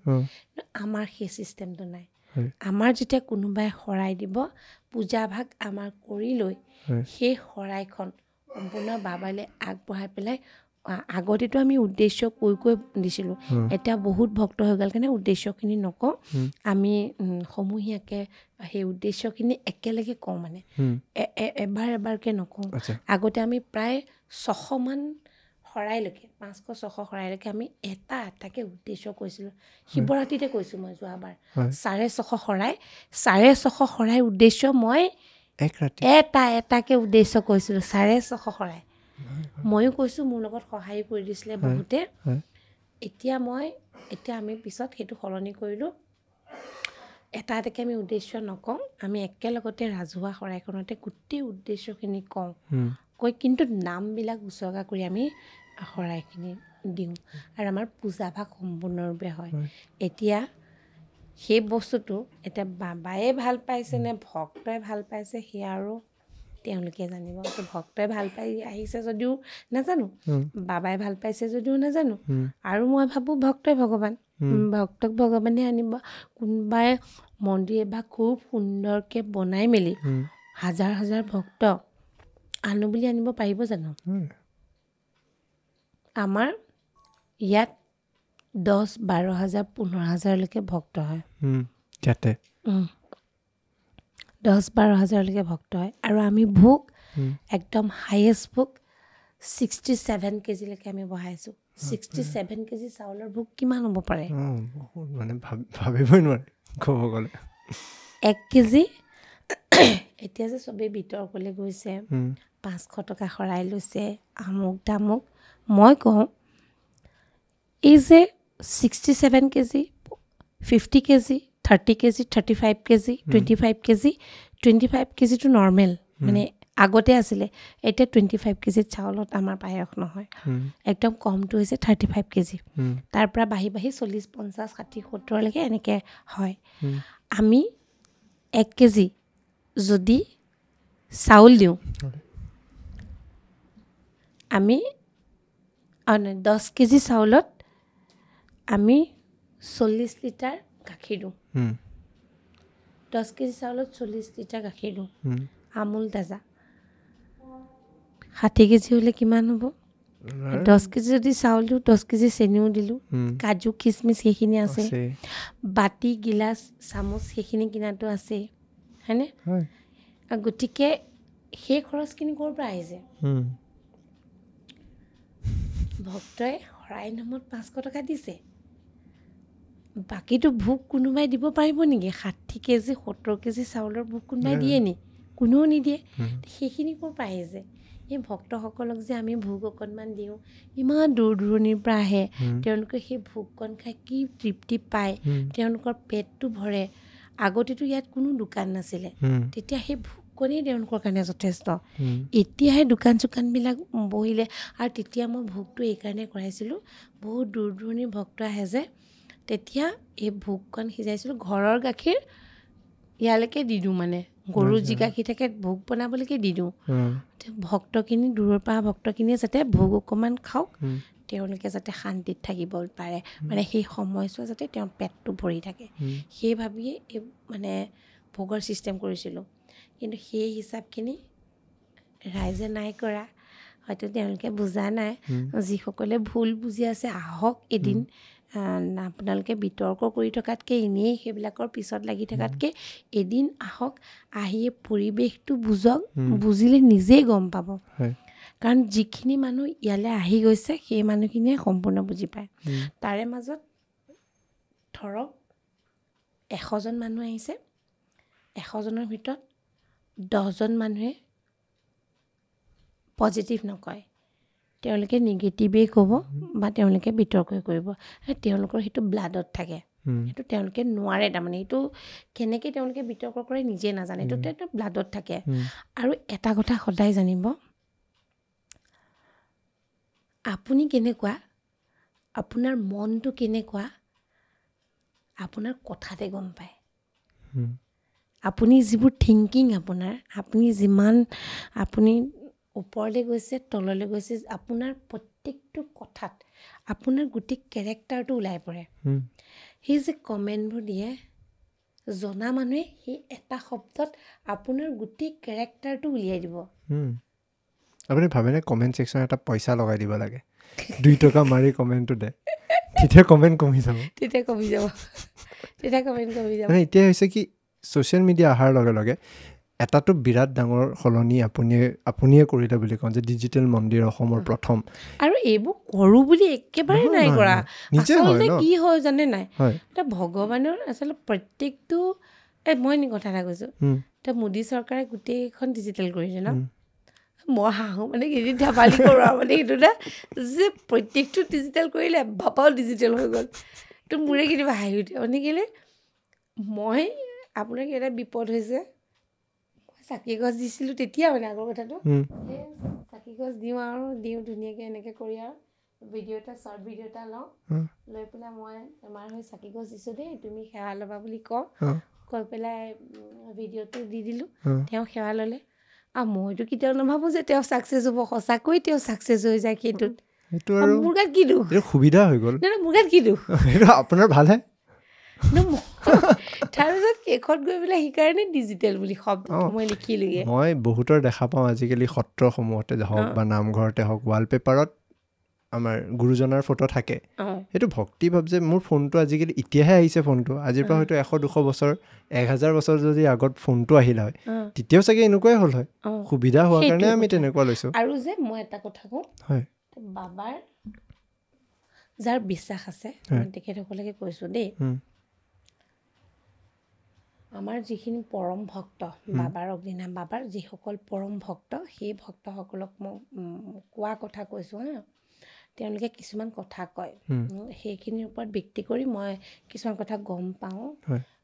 আমাৰ সেই ছিষ্টেমটো নাই। আমাৰ যেতিয়া কোনোবাই শৰাই দিব, পূজাভাগ আমাৰ কৰি লৈ সেই শৰাইখন সম্পূৰ্ণ বাবালৈ আগবঢ়াই পেলাই, আগতেতো আমি উদ্দেশ্য কৈ কৈ দিছিলোঁ, এতিয়া বহুত ভক্ত হৈ গ'ল কাৰণে উদ্দেশ্যখিনি নকওঁ, আমি সমূহীয়াকৈ সেই উদ্দেশ্যখিনি একেলগে কওঁ, মানে এবাৰ এবাৰকৈ নকওঁ। আগতে আমি প্ৰায় ছশমান শৰাইলৈকে, পাঁচশ ছশ শৰাইলৈকে আমি এটা এটাকৈ উদ্দেশ্য কৈছিলোঁ। শিৱৰাত্ৰিতে কৈছোঁ মই যোৱাবাৰ, চাৰে ছশ শৰাই, চাৰে ছশ শৰাই উদ্দেশ্য মই এটা এটাকৈ উদ্দেশ্য কৈছিলোঁ, চাৰে ছশ শৰাই। ময়ো কৈছোঁ, মোৰ লগত সহায়ো কৰি দিছিলে বহুতে। এতিয়া মই এতিয়া আমি পিছত সেইটো সলনি কৰিলোঁ, এটা এটাকৈ আমি উদ্দেশ্য নকওঁ, আমি একেলগতে ৰাজহুৱা শৰাইখনতে গোটেই উদ্দেশ্যখিনি কওঁ, কৈ কিন্তু নামবিলাক উচৰ্গা কৰি আমি শৰাইখিনি দিওঁ আৰু আমাৰ পূজাভাগ সম্পূৰ্ণৰূপে হয়। এতিয়া সেই বস্তুটো এতিয়া বাবায়ে ভাল পাইছে নে ভক্তই ভাল পাইছে সেয়া আৰু তেওঁলোকে জানিব। ভক্তই ভাল পাই আহিছে যদিও নাজানো, বাবাই ভাল পাইছে যদিও নাজানো, আৰু মই ভাবোঁ ভক্তই ভগৱান, ভক্তক ভগৱানে আনিব। কোনোবাই মন্দিৰ এভাগ খুব সুন্দৰকৈ বনাই মেলি হাজাৰ হাজাৰ ভক্ত আনো বুলি আনিব পাৰিব জানো? আমাৰ ইয়াত দহ বাৰ হাজাৰ পোন্ধৰ হাজাৰলৈকে ভক্ত হয়, দহ বাৰ হাজাৰলৈকে ভক্ত হয়। আৰু আমি ভোগ একদম হায়েষ্ট ভোগ ছিক্সটি ছেভেন কেজিলৈকে আমি বঢ়াইছোঁ। ছিক্সটি ছেভেন কেজি চাউলৰ ভোগ কিমান হ'ব পাৰে মানে ভাবিবই নোৱাৰি ক'ব গ'লে। এক কেজি এতিয়া যে চবেই বিতৰ্কলৈ গৈছে, পাঁচশ টকা শৰাই লৈছে, আমুক তামুক, মই কওঁ এই যে sixty seven KG, fifty KG, thirty KG, thirty five KG, twenty five KG, twenty five কেজিটো normal, মানে আগতে আছিলে, এতিয়া টুৱেণ্টি ফাইভ কেজি চাউলত আমাৰ পায়স নহয়, একদম কমটো হৈছে থাৰ্টি ফাইভ কেজি, তাৰ পৰা বাঢ়ি বাঢ়ি চল্লিছ পঞ্চাছ ষাঠি সত্তৰলৈকে এনেকৈ হয়। আমি এক কেজি যদি চাউল দিওঁ, আমি দহ কেজি চাউলত আমি চল্লিছ লিটাৰ গাখীৰ দিওঁ, দহ কেজি চাউলত চল্লিছ লিটাৰ গাখীৰ দিওঁ, আমুল তাজা। ষাঠি কেজি হ'লে কিমান হ'ব? দহ কেজি যদি চাউল দিওঁ, দহ কেজি চেনিও দিলোঁ, কাজু খিচমিচ সেইখিনি আছে, বাতি গিলাচ চামুচ সেইখিনি কিনাটো আছেই, হয়নে? গতিকে সেই খৰচখিনি ক'ৰ পৰা আহিছে? ভক্তই শৰাই নামত পাঁচশ টকা দিছে, বাকীটো ভোগ কোনোবাই দিব পাৰিব নেকি? ষাঠি কেজি সত্তৰ কেজি চাউলৰ ভোগ কোনোবাই দিয়ে নি? কোনেও নিদিয়ে। সেইখিনি ক'ৰ পৰা আহিছে? এই ভক্তসকলক যে আমি ভোগ অকণমান দিওঁ, ইমান দূৰ দূৰণিৰ পৰা আহে, তেওঁলোকে সেই ভোগকণ খাই কি তৃপ্তি পায়, তেওঁলোকৰ পেটটো ভৰে। আগতেতো ইয়াত কোনো দোকান নাছিলে, তেতিয়া সেই ভোগকণেই তেওঁলোকৰ কাৰণে যথেষ্ট। এতিয়াহে দোকান চোকানবিলাক বহিলে। আৰু তেতিয়া মই ভোগটো এইকাৰণে কৰাইছিলোঁ, বহুত দূৰ দূৰণিৰ ভক্ত আহে যে, তেতিয়া এই ভোগকণ সিজাইছিলোঁ। ঘৰৰ গাখীৰ ইয়ালৈকে দি দিওঁ, মানে গৰু যি গাখীৰ থাকে ভোগ বনাবলৈকে দি দিওঁ। ভক্তখিনি দূৰৰ পৰা ভক্তখিনিয়ে যাতে ভোগ অকণমান খাওক, তেওঁলোকে যাতে শান্তিত থাকিব পাৰে, মানে সেই সময়ছোৱা যাতে তেওঁৰ পেটটো ভৰি থাকে, সেই ভাবিয়ে এই মানে ভোগৰ ছিষ্টেম কৰিছিলোঁ। কিন্তু সেই হিচাপখিনি ৰাইজে নাই কৰা, হয়তো তেওঁলোকে বুজা নাই। যিসকলে ভুল বুজি আছে, আহক এদিন, আপোনালোকে বিতৰ্ক কৰি থকাতকৈ, এনেই সেইবিলাকৰ পিছত লাগি থকাতকৈ এদিন আহক, আহি পৰিৱেশটো বুজক, বুজিলে নিজেই গম পাব। কাৰণ যিখিনি মানুহ ইয়ালৈ আহি গৈছে সেই মানুহখিনিয়ে সম্পূৰ্ণ বুজি পায়। তাৰে মাজত ধৰক এশজন মানুহ আহিছে, এশজনৰ ভিতৰত দহজন মানুহে পজিটিভ নকয়, তেওঁলোকে নিগেটিভেই ক'ব বা তেওঁলোকে বিতৰ্কই কৰিব। তেওঁলোকৰ সেইটো ব্লাডত থাকে, সেইটো তেওঁলোকে নোৱাৰে, তাৰমানে সেইটো কেনেকৈ তেওঁলোকে বিতৰ্ক কৰে নিজে নাজানে, সেইটো তেওঁৰ ব্লাডত থাকে। আৰু এটা কথা সদায় জানিব, আপুনি কেনেকুৱা, আপোনাৰ মনটো কেনেকুৱা, আপোনাৰ কথাতে গম পায়। আপুনি যিবোৰ থিংকিং আপোনাৰ, আপুনি যিমান আপুনি ওপৰলৈ গৈছে তললৈ গৈছে, আপোনাৰ প্ৰত্যেকটো কথাত আপোনাৰ গোটেই কেৰেক্টাৰটো ওলাই পৰে। সেই যে কমেণ্টবোৰ দিয়ে, জনা মানুহে সেই এটা শব্দত আপোনাৰ গোটেই কেৰেক্টাৰটো উলিয়াই দিব। আপুনি ভাবেনে কমেণ্ট ছেকশ্যন এটা পইচা লগাই দিব লাগে, দুই টকা মাৰি কমেণ্টটো দে, তেতিয়া কমেণ্ট কমি যাব, তেতিয়া কমি যাব, তেতিয়া কমেণ্ট কমি যাব। মানে এতিয়া হৈছে কি, ছ'চিয়েল মিডিয়া অহাৰ লগে লগে এটাতো বিৰাট ডাঙৰ সলনি আপুনিয়ে আপুনিয়ে কৰিলে বুলি কওঁ যে ডিজিটেল মন্দিৰ অসমৰ প্ৰথম। আৰু এইবোৰ কৰোঁ বুলি একেবাৰে নাই কৰা, আচলতে কি হয় জানে নাই, এতিয়া ভগৱানৰ আচলতে প্ৰত্যেকটো, এই মই কথা এটা কৈছোঁ, এতিয়া মোদী চৰকাৰে গোটেইখন ডিজিটেল কৰিছে ন, মই হাঁহোঁ মানে কেইদিন ধেমালি কৰোঁ আৰু, মানে সেইটো না যে প্ৰত্যেকটো ডিজিটেল কৰিলে বাপাও ডিজিটেল হৈ গ'ল, তো মোৰে কেতিয়াবা হাঁহি উঠে। মানে কেলৈ মই আপোনাৰ এটা বিপদ হৈছে, চাকি গছ দিছিলোঁ তেতিয়া, মানে আগৰ কথাটো, সেই চাকি গছ দিওঁ আৰু দিওঁ ধুনীয়াকৈ এনেকৈ কৰি আৰু ভিডিঅ' এটা শ্বৰ্ট ভিডিঅ' এটা লওঁ, লৈ পেলাই মই বেমাৰ হৈ চাকি গছ দিছোঁ দেই, তুমি সেৱা ল'বা বুলি কওঁ, কৈ পেলাই ভিডিঅ'টো দি দিলোঁ, তেওঁ সেৱা ল'লে। আৰু মইতো কেতিয়াও নাভাবোঁ যে তেওঁ ছাকচেছ হ'ব, সঁচাকৈ তেওঁ ছাকচেছ হৈ যায় সেইটোত। মোৰ গাত কি দুখ, সুবিধা হৈ গ'ল। নাই, মোৰ গাত কি দুখ, আপোনাৰ ভালহে। তাৰপিছত শেষত গৈ পেলাই সেইকাৰণে ডিজিটেল বুলি শব্দ মই লিখিলোগে। মই বহুতৰ দেখা পাওঁ আজিকালি সত্ৰসমূহতে হওক বা নামঘৰতে হওক, ৱালপেপাৰত আমাৰ গুৰুজনাৰ ফটো থাকে। সেইটো ভক্তিভাৱ যে মোৰ ফোনটো আজিকালি এতিয়াহে আহিছে ফোনটো, আজিৰ পৰা হয়তো এশ দুশ বছৰ এক হাজাৰ বছৰ যদি আগত ফোনটো আহিল হয়, তেতিয়াও চাগে এনেকুৱাই হ'ল হয়। সুবিধা হোৱাৰ কাৰণে আমি তেনেকুৱা লৈছোঁ। আৰু যে মই এটা কথা কওঁ, বাবাৰ যাৰ বিশ্বাস আছে, তেখেতসকলকে কৈছোঁ দেই, আমাৰ যিখিনি পৰম ভক্ত বাবাৰ অগ্নিনাভ বাবাৰ যিসকল পৰম ভক্ত, সেই ভক্তসকলক মই কোৱা কথা কৈছোঁ হা, তেওঁলোকে কিছুমান কথা কয়, সেইখিনিৰ ওপৰত ভিত্তি কৰি মই কিছুমান কথা গম পাওঁ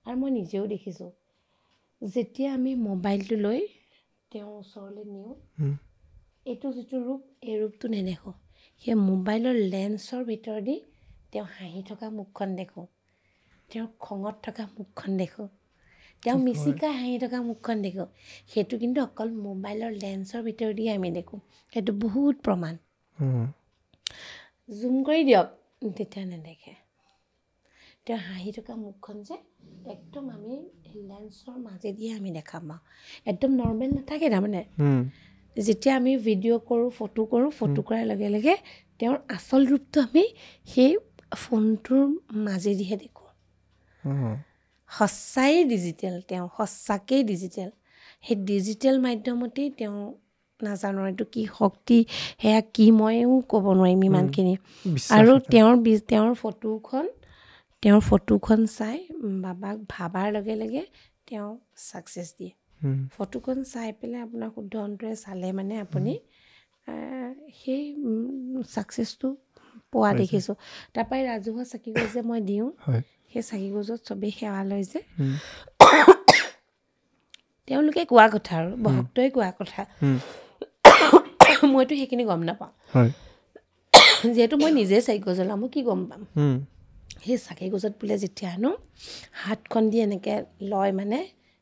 আৰু মই নিজেও দেখিছোঁ। যেতিয়া আমি মোবাইলটো লৈ তেওঁৰ ওচৰলৈ নিওঁ, এইটো যিটো ৰূপ, এই ৰূপটো নেদেখোঁ, সেই মোবাইলৰ লেন্সৰ ভিতৰেদি তেওঁ হাঁহি থকা মুখখন দেখোঁ, তেওঁৰ খঙত থকা মুখখন দেখোঁ, তেওঁ মিচিকাই হাঁহি থকা মুখখন দেখোঁ। সেইটো কিন্তু অকল মোবাইলৰ লেন্সৰ ভিতৰেদি আমি দেখোঁ, সেইটো বহুত প্ৰমাণ। জুম কৰি দিয়ক তেতিয়া নেদেখে। তেওঁ হাঁহি থকা মুখখন যে একদম আমি লেন্সৰ মাজেদিয়ে আমি দেখা পাওঁ, একদম নৰ্মেল নাথাকে। তাৰমানে যেতিয়া আমি ভিডিঅ' কৰোঁ, ফটো কৰোঁ, ফটো কৰাৰ লগে লগে তেওঁৰ আচল ৰূপটো আমি সেই ফোনটোৰ মাজেদিহে দেখোঁ। সঁচাই ডিজিটেল, তেওঁ সঁচাকেই ডিজিটেল। সেই ডিজিটেল মাধ্যমতেই তেওঁ নাজানো এইটো কি শক্তি, সেয়া কি ময়ো ক'ব নোৱাৰিম ইমানখিনি। আৰু তেওঁৰ তেওঁৰ ফটোখন তেওঁৰ ফটোখন চাই বাবাক ভাবাৰ লগে লগে তেওঁ ছাকচেছ দিয়ে। ফটোখন চাই পেলাই আপোনাৰ শুদ্ধ অন্তৰে চালে মানে আপুনি সেই ছাকচেছটো পোৱা দেখিছোঁ। তাৰপৰাই ৰাজহুৱা চাকি গছ যে মই দিওঁ, সেই চাকি গছত চবেই সেৱা লয় যে, তেওঁলোকে কোৱা কথা আৰু ভক্তই কোৱা কথা, মইতো সেইখিনি গম নাপাওঁ, যিহেতু মই নিজে চাকি গছ জ্বলাওঁ, মই কি গম পাম। সেই চাকি গছত বোলে যেতিয়া হেনো হাতখন দি এনেকৈ লয়, মানে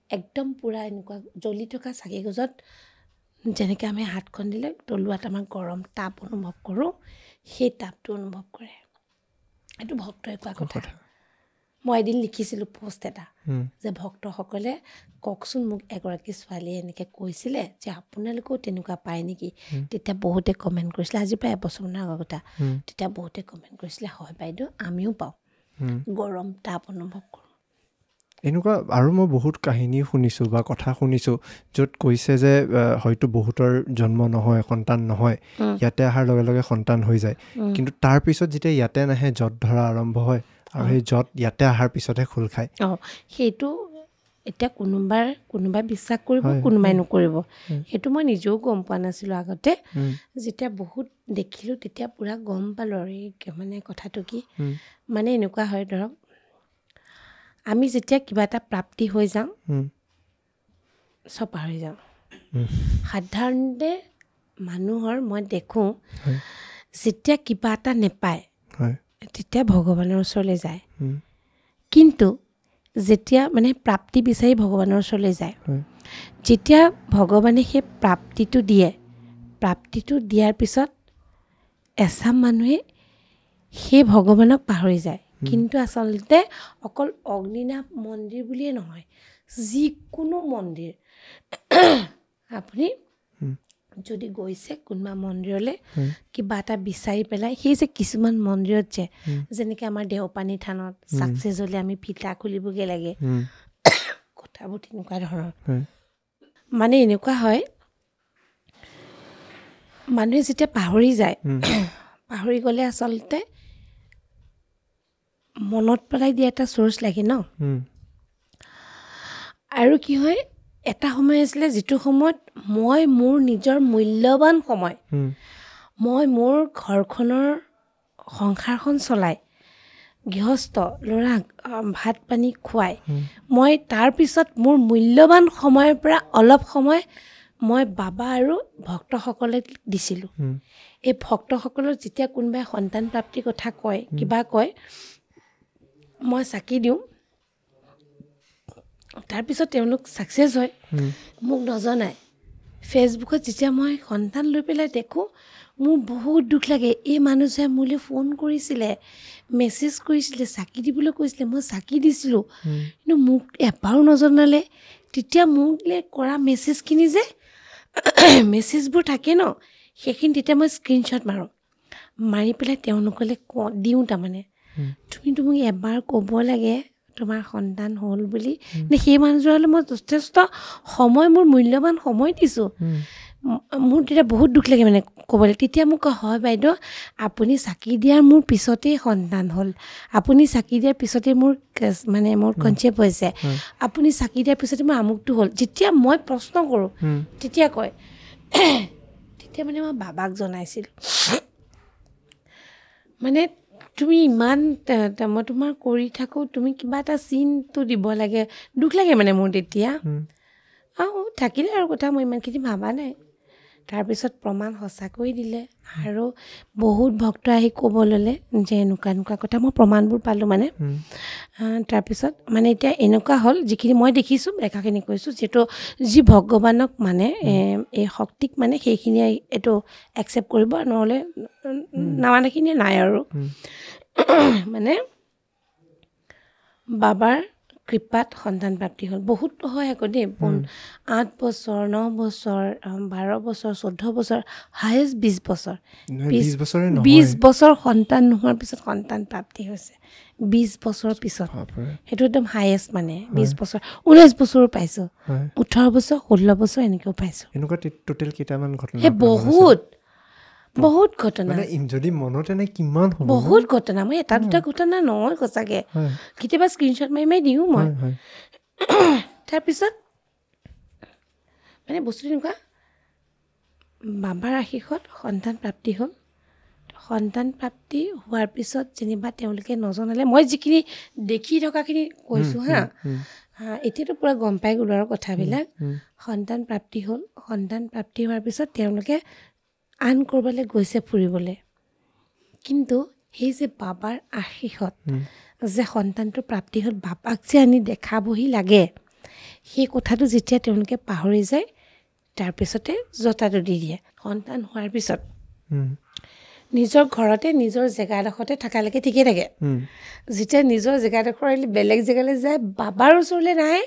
একদম পূৰা এনেকুৱা জ্বলি থকা চাকি গছত যেনেকৈ আমি হাতখন দিলে তলুৱাত আমাৰ গৰম তাপ অনুভৱ কৰোঁ, সেই তাপটো অনুভৱ কৰে। এইটো ভক্তই কোৱা কথা। মই এদিন লিখিছিলোঁ পষ্ট এটা যে ভক্তসকলে কওকচোন, মোক এগৰাকী ছোৱালীয়ে এনেকৈ কৈছিলে যে আপোনালোকেও তেনেকুৱা পায় নেকি? তেতিয়া বহুতে কমেণ্ট কৰিছিলে, আজিৰ পৰা এবছৰমানৰ আগৰ কথা, তেতিয়া বহুতে কমেণ্ট কৰিছিলে হয় বাইদেউ আমিও পাওঁ, গৰম তাপ অনুভৱ কৰোঁ। এনেকুৱা আৰু মই বহুত কাহিনী শুনিছোঁ বা কথা শুনিছোঁ য'ত কৈছে যে হয়তো বহুতৰ জন্ম নহয়, সন্তান নহয়, ইয়াতে অহাৰ লগে লগে সন্তান হৈ যায়, কিন্তু তাৰপিছত যেতিয়া ইয়াতে নাহে যঁত ধৰা আৰম্ভ হয়, আৰু সেই যঁত ইয়াতে অহাৰ পিছতহে খোল খায়। অঁ, সেইটো এতিয়া কোনোবাৰ কোনোবাই বিশ্বাস কৰিব, কোনোবাই নকৰিব, সেইটো মই নিজেও গম পোৱা নাছিলোঁ আগতে। যেতিয়া বহুত দেখিলোঁ তেতিয়া পূৰা গম পালোঁ আৰু এই মানে কথাটো কি, মানে এনেকুৱা হয় ধৰক আমি যেতিয়া কিবা এটা প্ৰাপ্তি হৈ যাওঁ চব পাহৰি যাওঁ। সাধাৰণতে মানুহৰ মই দেখোঁ যেতিয়া কিবা এটা নেপায় তেতিয়া ভগৱানৰ ওচৰলৈ যায়, কিন্তু যেতিয়া মানে প্ৰাপ্তি বিচাৰি ভগৱানৰ ওচৰলৈ যায়, যেতিয়া ভগৱানে সেই প্ৰাপ্তিটো দিয়ে, প্ৰাপ্তিটো দিয়াৰ পিছত এচাম মানুহে সেই ভগৱানক পাহৰি যায়। কিন্তু আচলতে অকল অগ্নিনাভ মন্দিৰ বুলিয়ে নহয়, যিকোনো মন্দিৰ আপুনি যদি গৈছে কোনোবা মন্দিৰলৈ কিবা এটা বিচাৰি পেলাই, সেই যে কিছুমান মন্দিৰত যে যেনেকৈ আমাৰ দেওপানী থানত ছাকচেছ হ'লে আমি ফিটা খুলিবগৈ লাগে, কথাবোৰ তেনেকুৱা ধৰণৰ। মানে এনেকুৱা হয় মানুহে যেতিয়া পাহৰি যায়, পাহৰি গ'লে আচলতে মনত পেলাই দিয়া এটা চ'ৰ্চ লাগে ন। আৰু কি হয়, এটা সময় আছিলে যিটো সময়ত মই মোৰ নিজৰ মূল্যৱান সময়, মই মোৰ ঘৰখনৰ সংসাৰখন চলাই গৃহস্থ ল'ৰাক ভাত পানী খুৱাই মই তাৰপিছত মোৰ মূল্যৱান সময়ৰ পৰা অলপ সময় মই বাবা আৰু ভক্তসকলে দিছিলোঁ। এই ভক্তসকলৰ যেতিয়া কোনোবাই সন্তান প্ৰাপ্তিৰ কথা কয়, কিবা কয়, মই চাকি দিওঁ, তাৰপিছত তেওঁলোক ছাকচেছ হয়, মোক নজনায়। ফেচবুকত যেতিয়া মই সন্তান লৈ পেলাই দেখোঁ মোৰ বহুত দুখ লাগে। এই মানুহজনে মোলৈ ফোন কৰিছিলে, মেছেজ কৰিছিলে, চাকি দিবলৈ কৈছিলে, মই চাকি দিছিলোঁ, কিন্তু মোক এবাৰো নজনালে। তেতিয়া মোলৈ কৰা মেছেজখিনি যে মেছেজবোৰ থাকে ন, সেইখিনি তেতিয়া মই স্ক্ৰীনশ্বট মাৰোঁ, মাৰি পেলাই তেওঁলোকলৈ কওঁ দিওঁ, তাৰমানে তুমিতো মোক এবাৰ ক'ব লাগে তোমাৰ সন্তান হ'ল বুলি। সেই মানুহজনলৈ মই যথেষ্ট সময়, মোৰ মূল্যৱান সময় দিছোঁ, মোৰ তেতিয়া বহুত দুখ লাগে মানে ক'বলৈ। তেতিয়া মোক কয়, হয় বাইদেউ আপুনি চাকি দিয়াৰ মোৰ পিছতেই সন্তান হ'ল, আপুনি চাকি দিয়াৰ পিছতেই মোৰ মানে মোৰ কনচেপ্ট হৈছে, আপুনি চাকি দিয়াৰ পিছতে মোৰ আমুকটো হ'ল। যেতিয়া মই প্ৰশ্ন কৰোঁ তেতিয়া কয়, তেতিয়া মানে মই বাবাক জনাইছিলোঁ, মানে তুমি ইমান মই তোমাৰ কৰি থাকোঁ, তুমি কিবা এটা চিনটো দিব লাগে। দুখ লাগে মানে মোৰ তেতিয়া। অঁ, থাকিলে আৰু কথা মই ইমানখিনি ভবা নাই। তাৰপিছত প্ৰমাণ সঁচাকৈ দিলে আৰু বহুত ভক্ত আহি ক'ব ল'লে যে এনেকুৱা এনেকুৱা কথা, মই প্ৰমাণবোৰ পালোঁ মানে। তাৰপিছত মানে এতিয়া এনেকুৱা হ'ল, যিখিনি মই দেখিছোঁ দেখাখিনি কৈছোঁ, যিহেতু যি ভগৱানক মানে এই শক্তিক মানে সেইখিনিয়ে এইটো একচেপ্ট কৰিব, নহ'লে নামানেখিনিয়ে নাই আৰু। মানে বাবাৰ কৃপাত সন্তান প্ৰাপ্তি হ'ল। বহুত হয় আকৌ দেই, আঠ বছৰ, ন বছৰ, বাৰ বছৰ, চৈধ্য বছৰ, হায়েষ্ট বিছ বছৰ। বিছ বছৰ সন্তান নোহোৱাৰ পিছত সন্তান প্ৰাপ্তি হৈছে, বিছ বছৰৰ পিছত। সেইটো একদম হায়েষ্ট, মানে বিছ বছৰ, ঊনৈছ বছৰো পাইছোঁ, ওঠৰ বছৰ, ষোল্ল বছৰ এনেকৈও পাইছোঁ। সেই বহুত বহুত ঘটনা, যদি মনতে নাই কিমান বহুত ঘটনা। মই এটা দুটা ঘটনা নহয় সঁচাকৈ, কেতিয়াবা স্ক্ৰীনশ্বট মাৰি মাৰি দিওঁ মই। তাৰপিছত মানে বস্তুটো এনেকুৱা, বাবাৰ আশীষত সন্তান প্ৰাপ্তি হ'ল। সন্তান প্ৰাপ্তি হোৱাৰ পিছত যেনিবা তেওঁলোকে নজনালে, মই যিখিনি দেখি থকাখিনি কৈছোঁ হা, এতিয়াতো পূৰা গম পাই গ'লোঁ আৰু কথাবিলাক। সন্তান প্ৰাপ্তি হ'ল, সন্তান প্ৰাপ্তি হোৱাৰ পিছত তেওঁলোকে আন ক'ৰবালৈ গৈছে ফুৰিবলৈ, কিন্তু সেই যে বাবাৰ আশীষত যে সন্তানটো প্ৰাপ্তি হ'ল, বাবাক যে আনি দেখাবহি লাগে, সেই কথাটো যেতিয়া তেওঁলোকে পাহৰি যায়, তাৰপিছতে জতাটো দি দিয়ে। সন্তান হোৱাৰ পিছত নিজৰ ঘৰতে নিজৰ জেগাডোখৰতে থকালৈকে ঠিকেই থাকে, যেতিয়া নিজৰ জেগাডোখৰ বেলেগ জেগালৈ যায়, বাবাৰ ওচৰলৈ নাহে,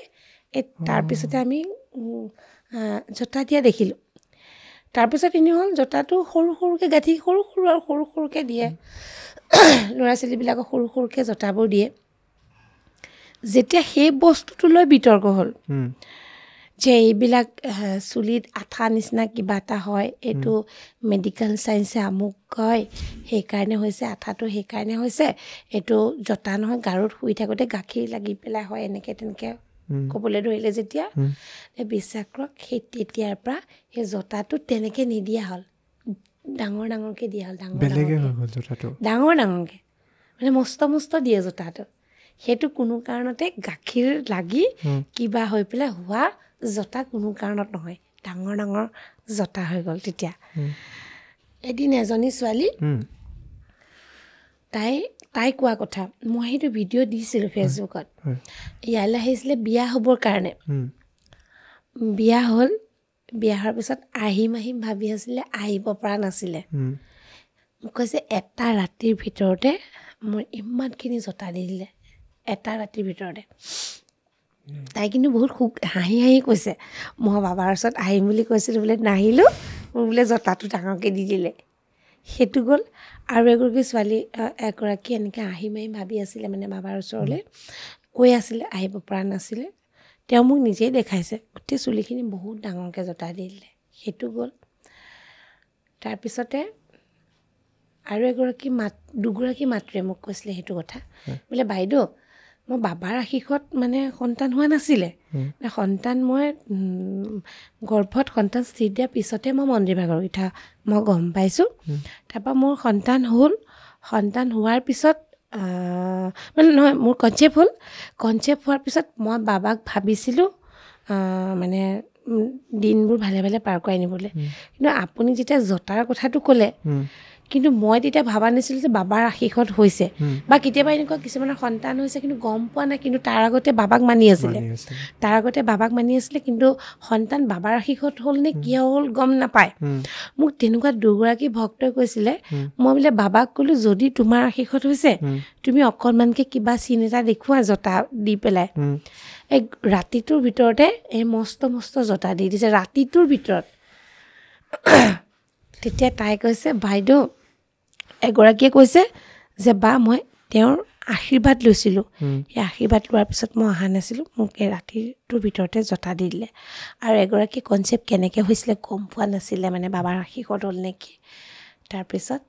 এই তাৰপিছতে আমি জতা দিয়া দেখিলোঁ। তাৰপিছত এনেই হ'ল, জতাটো সৰু সৰুকৈ গাঁঠি, সৰু সৰু আৰু সৰু সৰুকৈ দিয়ে, ল'ৰা ছোৱালীবিলাকক সৰু সৰুকৈ জতাবোৰ দিয়ে। যেতিয়া সেই বস্তুটো লৈ বিতৰ্ক হ'ল যে এইবিলাক চুলিত আঠা নিচিনা কিবা এটা হয়, এইটো মেডিকেল চায়েন্সে আমুক কয়, সেইকাৰণে হৈছে আঠাটো, সেইকাৰণে হৈছে, এইটো জতা নহয়, গাৰুত শুই থাকোঁতে গাখীৰ লাগি পেলাই হয়, এনেকৈ তেনেকৈ ক'বলৈ ধৰিলে। যেতিয়া বিশ্বাস কৰক, সেই তেতিয়াৰ পৰা সেই জতাটো তেনেকৈ নিদিয়া হ'ল, ডাঙৰ ডাঙৰকৈ দিয়া হ'ল, ডাঙৰ ডাঙৰকৈ, ডাঙৰ ডাঙৰকৈ, মানে মস্ত মস্ত দিয়ে জতাটো। সেইটো কোনো কাৰণতে গাখীৰ লাগি কিবা হৈ পেলাই হোৱা জতা কোনো কাৰণত নহয়, ডাঙৰ ডাঙৰ জতা হৈ গ'ল। তেতিয়া এদিন এজনী ছোৱালী, তাই তাই কোৱা কথা, মই সেইটো ভিডিঅ' দিছিলোঁ ফেচবুকত, ইয়ালৈ আহিছিলে বিয়া হ'বৰ কাৰণে। বিয়া হ'ল, বিয়া হোৱাৰ পিছত আহিম আহিম ভাবি আছিলে, আহিব পৰা নাছিলে। মোক কৈছে এটা ৰাতিৰ ভিতৰতে মোৰ ইমানখিনি জতা দি দিলে, এটা ৰাতিৰ ভিতৰতে। তাই কিন্তু বহুত সুখ হাঁহি হাঁহি কৈছে, মই বাবাৰ ওচৰত আহিম বুলি কৈছিলোঁ বোলে, নাহিলোঁ, মোক বোলে জতাটো ডাঙৰকৈ দি দিলে। সেইটো গ'ল। আৰু এগৰাকী ছোৱালী, এগৰাকী এনেকৈ আহিম আহিম ভাবি আছিলে, মানে বাবাৰ ওচৰলৈ কৈ আছিলে, আহিব পৰা নাছিলে। তেওঁ মোক নিজেই দেখাইছে, গোটেই চুলিখিনি বহুত ডাঙৰকৈ জতা দি দিলে। সেইটো গ'ল। তাৰপিছতে আৰু এগৰাকী মাত দুগৰাকী মাতৃয়ে মোক কৈছিলে সেইটো কথা, বোলে বাইদেউ মই বাবাৰ আশীষত মানে সন্তান হোৱা নাছিলে, সন্তান মই গৰ্ভত সন্তান স্থিৰ দিয়াৰ পিছতে মই মন্দিৰ ভাগৰ কথা মই গম পাইছোঁ। তাৰপৰা মোৰ সন্তান হ'ল, সন্তান হোৱাৰ পিছত মানে নহয়, মোৰ কনচেপ্ট হ'ল। কনচেপ্ট হোৱাৰ পিছত মই বাবাক ভাবিছিলোঁ মানে দিনবোৰ ভালে ভালে পাৰ কৰাই নিবলৈ, কিন্তু আপুনি যেতিয়া জতাৰ কথাটো ক'লে, কিন্তু মই তেতিয়া ভবা নাছিলোঁ যে বাবাৰ আশীষত হৈছে। বা কেতিয়াবা এনেকুৱা কিছুমানৰ সন্তান হৈছে কিন্তু গম পোৱা নাই, কিন্তু তাৰ আগতে বাবাক মানি আছিলে, তাৰ আগতে বাবাক মানি আছিলে, কিন্তু সন্তান বাবাৰ আশীষত হ'ল নে কিয় হ'ল গম নাপায়। মোক তেনেকুৱা দুগৰাকী ভক্তই কৈছিলে, মই বোলে বাবাক ক'লোঁ যদি তোমাৰ আশীষত হৈছে তুমি অকণমানকৈ কিবা চিন এটা দেখুওৱা জতা দি পেলাই। এই ৰাতিটোৰ ভিতৰতে এই মস্ত মস্ত জতা দি দিছে, ৰাতিটোৰ ভিতৰত। তেতিয়া তাই কৈছে, বাইদেউ, এগৰাকীয়ে কৈছে যে বা মই তেওঁৰ আশীৰ্বাদ লৈছিলোঁ, সেই আশীৰ্বাদ লোৱাৰ পিছত মই অহা নাছিলোঁ, মোক এই ৰাতিটোৰ ভিতৰতে জতা দি দিলে। আৰু এগৰাকী কনচেপ্ট কেনেকৈ হৈছিলে গম পোৱা নাছিলে, মানে বাবাৰ আশীৰ্বাদ হ'ল নেকি। তাৰপিছত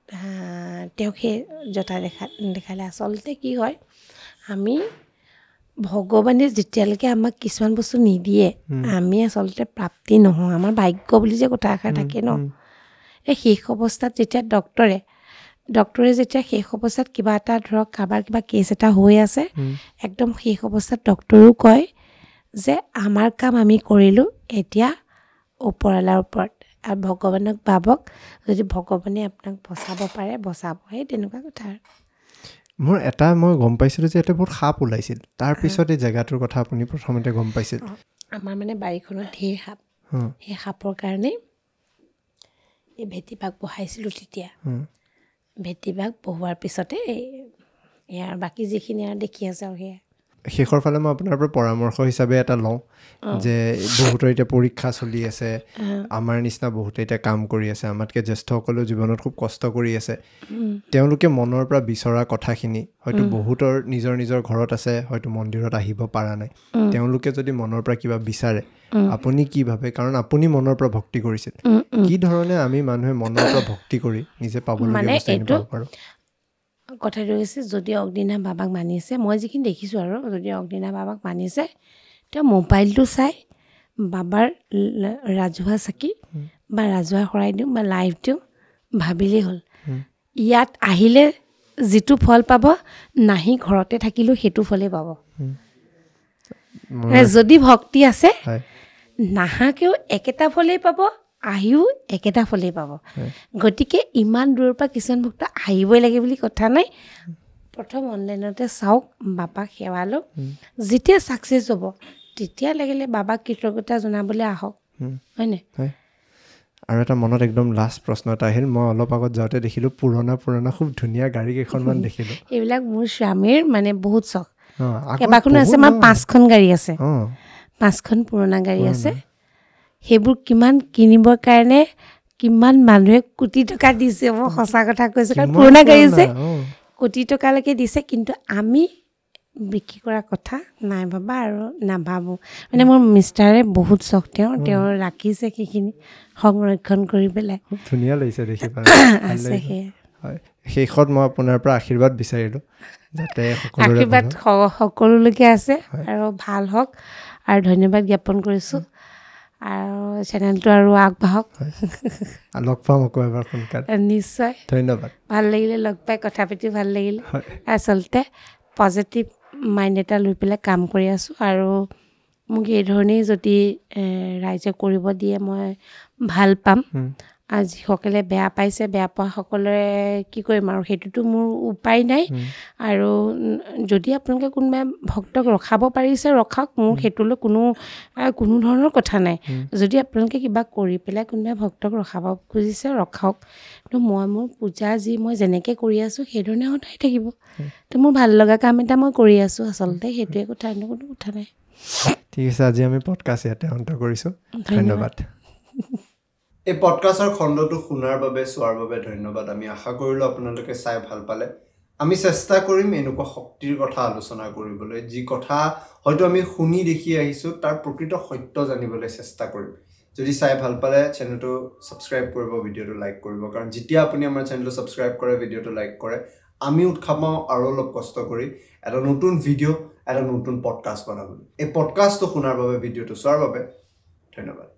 তেওঁক সেই জতা দেখা দেখালে। আচলতে কি হয়, আমি ভগৱানে যেতিয়ালৈকে আমাক কিছুমান বস্তু নিদিয়ে, আমি আচলতে প্ৰাপ্তি নহওঁ। আমাৰ ভাগ্য বুলি যে কথা এষাৰ থাকে ন, এই শেষ অৱস্থাত যেতিয়া ডক্টৰে ডক্টৰে যেতিয়া শেষ অৱস্থাত কিবা এটা ধৰক কাৰোবাৰ কিবা কেছ এটা হৈ আছে, একদম শেষ অৱস্থাত ডক্টৰেও কয় যে আমাৰ কাম আমি কৰিলোঁ, এতিয়া ওপৰৱালাৰ ওপৰত, আৰু ভগৱানক ভাবক, যদি ভগৱানে আপোনাক বচাব পাৰে বচাব, সেই তেনেকুৱা কথা। মোৰ এটা মই গম পাইছিলোঁ যে ইয়াতে বহুত সাপ ওলাইছিল, তাৰপিছত এই জেগাটোৰ কথা আপুনি প্ৰথমতে গম পাইছিল। আমাৰ মানে বাৰীখনত ঢেৰ সাপ, সেই সাপৰ কাৰণে এই ভেটিবাগ বহাইছিলোঁ। তেতিয়া ভেটিবাগ বহোৱাৰ পিছতে এই ইয়াৰ বাকী যিখিনি আৰু দেখি আছে আৰু সেয়া। শেষৰ ফালে মই আপোনাৰ পৰা পৰামৰ্শ হিচাপে এটা লওঁ যে বহুতৰ এতিয়া পৰীক্ষা চলি আছে, আমাৰ নিচিনা বহুতে এতিয়া কাম কৰি আছে, আমাতকৈ জ্যেষ্ঠসকলেও জীৱনত খুব কষ্ট কৰি আছে, তেওঁলোকে মনৰ পৰা বিচৰা কথাখিনি হয়তো বহুতৰ নিজৰ নিজৰ ঘৰত আছে, হয়তো মন্দিৰত আহিব পৰা নাই, তেওঁলোকে যদি মনৰ পৰা কিবা বিচাৰে আপুনি কি ভাবে? কাৰণ আপুনি মনৰ পৰা ভক্তি কৰিছিল, কি ধৰণে আমি মানুহে মনৰ পৰা ভক্তি কৰি নিজে পাবলগীয়া বস্তুখিনি পাব পাৰোঁ? কথাটো হৈছে যদি অগ্নিনাভ বাবাক মানিছে, মই যিখিনি দেখিছোঁ আৰু, যদি অগ্নিনাভ বাবাক মানিছে তেওঁ মোবাইলটো চাই বাবাৰ ৰাজহুৱা চাকি বা ৰাজহুৱা শৰাই দিওঁ বা লাইভ দিওঁ ভাবিলেই হ'ল। ইয়াত আহিলে যিটো ফল পাব, নাহি ঘৰতে থাকিলেও সেইটো ফলেই পাব। যদি ভক্তি আছে নাহাকেও একেটা ফলেই পাব, আহিও একেটা ফলেই পাব। গতিকে ইমান দূৰৰ পৰা কিছুমান ভক্ত আহিবই লাগে বুলি কথা নাই। প্ৰথম অনলাইনতে চাওক, বাবাক সেৱা লওক, যেতিয়া ছাকচেছ হ'ব তেতিয়া লাগিলে বাবাক কৃতজ্ঞতা জনাবলৈ আহক, হয়নে? আৰু এটা মনত একদম লাষ্ট প্ৰশ্ন এটা আহিল, মই অলপ আগত যাওঁতে দেখিলোঁ পুৰণা পুৰণা খুব ধুনীয়া গাড়ী কেইখনমান দেখিলোঁ। এইবিলাক মোৰ স্বামীৰ মানে বহুত চখ, কেইবাখনো আছে, আমাৰ পাঁচখন গাড়ী আছে, পাঁচখন পুৰণা গাড়ী আছে। সেইবোৰ কিমান কিনিবৰ কাৰণে কিমান মানুহে কোটি টকা দিছে, মই সঁচা কথা কৈছোঁ, কাৰণ পুৰণা গাড়ী যে কোটি টকালৈকে দিছে, কিন্তু আমি বিক্ৰী কৰা কথা নাই ভবা আৰু নাভাবোঁ। মানে মোৰ মিষ্টাৰে বহুত চখ, তেওঁ তেওঁ ৰাখিছে সেইখিনি সংৰক্ষণ কৰি পেলাই, খুব ধুনীয়া লাগিছে দেখি আছে। সেয়া হয়। শেষত মই আপোনাৰ পৰা আশীৰ্বাদ বিচাৰিলোঁ যাতে আশীৰ্বাদ সকলোলৈকে আছে আৰু ভাল হওক, আৰু ধন্যবাদ জ্ঞাপন কৰিছোঁ, আৰু চেনেলটো আৰু আগবাঢ়ক। লগ পাম আকৌ এবাৰ সোনকালে। নিশ্চয়, ধন্যবাদ। ভাল লাগিলে লগ পাই, কথা পাতি ভাল লাগিলে। আচলতে পজিটিভ মাইণ্ড এটা লৈ পেলাই কাম কৰি আছোঁ, আৰু মোক এই ধৰণেই যদি ৰাইজে কৰিব দিয়ে মই ভাল পাম। আৰু যিসকলে বেয়া পাইছে, বেয়া পোৱাসকলে কি কৰিম আৰু, সেইটোতো মোৰ উপায় নাই। আৰু যদি আপোনালোকে কোনোবাই ভক্তক ৰখাব পাৰিছে ৰখাওক, মোৰ সেইটোলৈ কোনো কোনো ধৰণৰ কথা নাই। যদি আপোনালোকে কিবা কৰি পেলাই কোনোবাই ভক্তক ৰখাব খুজিছে ৰখাওক, কিন্তু মই মোৰ পূজা যি মই যেনেকৈ কৰি আছোঁ সেইধৰণে সদায় থাকিব। তো মোৰ ভাল লগা কাম এটা মই কৰি আছোঁ, আচলতে সেইটোৱে কথা, অন্য কোনো কথা নাই। ঠিক আছে, আজি আমি পডকাষ্ট ইয়াতে অন্ত কৰিছোঁ, ধন্যবাদ। এই পডকাষ্টৰ খণ্ডটো শুনাৰ বাবে, চোৱাৰ বাবে ধন্যবাদ। আমি আশা কৰিলোঁ আপোনালোকে চাই ভাল পালে। আমি চেষ্টা কৰিম এনেকুৱা শক্তিৰ কথা আলোচনা কৰিবলৈ, যি কথা হয়তো আমি শুনি দেখি আহিছোঁ তাৰ প্ৰকৃত সত্য জানিবলৈ চেষ্টা কৰিম। যদি চাই ভাল পালে চেনেলটো ছাবস্ক্ৰাইব কৰিব, ভিডিঅ'টো লাইক কৰিব, কাৰণ যেতিয়া আপুনি আমাৰ চেনেলটো ছাবস্ক্ৰাইব কৰে, ভিডিঅ'টো লাইক কৰে, আমি উৎসাহ পাওঁ আৰু অলপ কষ্ট কৰি এটা নতুন ভিডিঅ', এটা নতুন পডকাষ্ট বনাবলৈ। এই পডকাষ্টটো শুনাৰ বাবে, ভিডিঅ'টো চোৱাৰ বাবে ধন্যবাদ।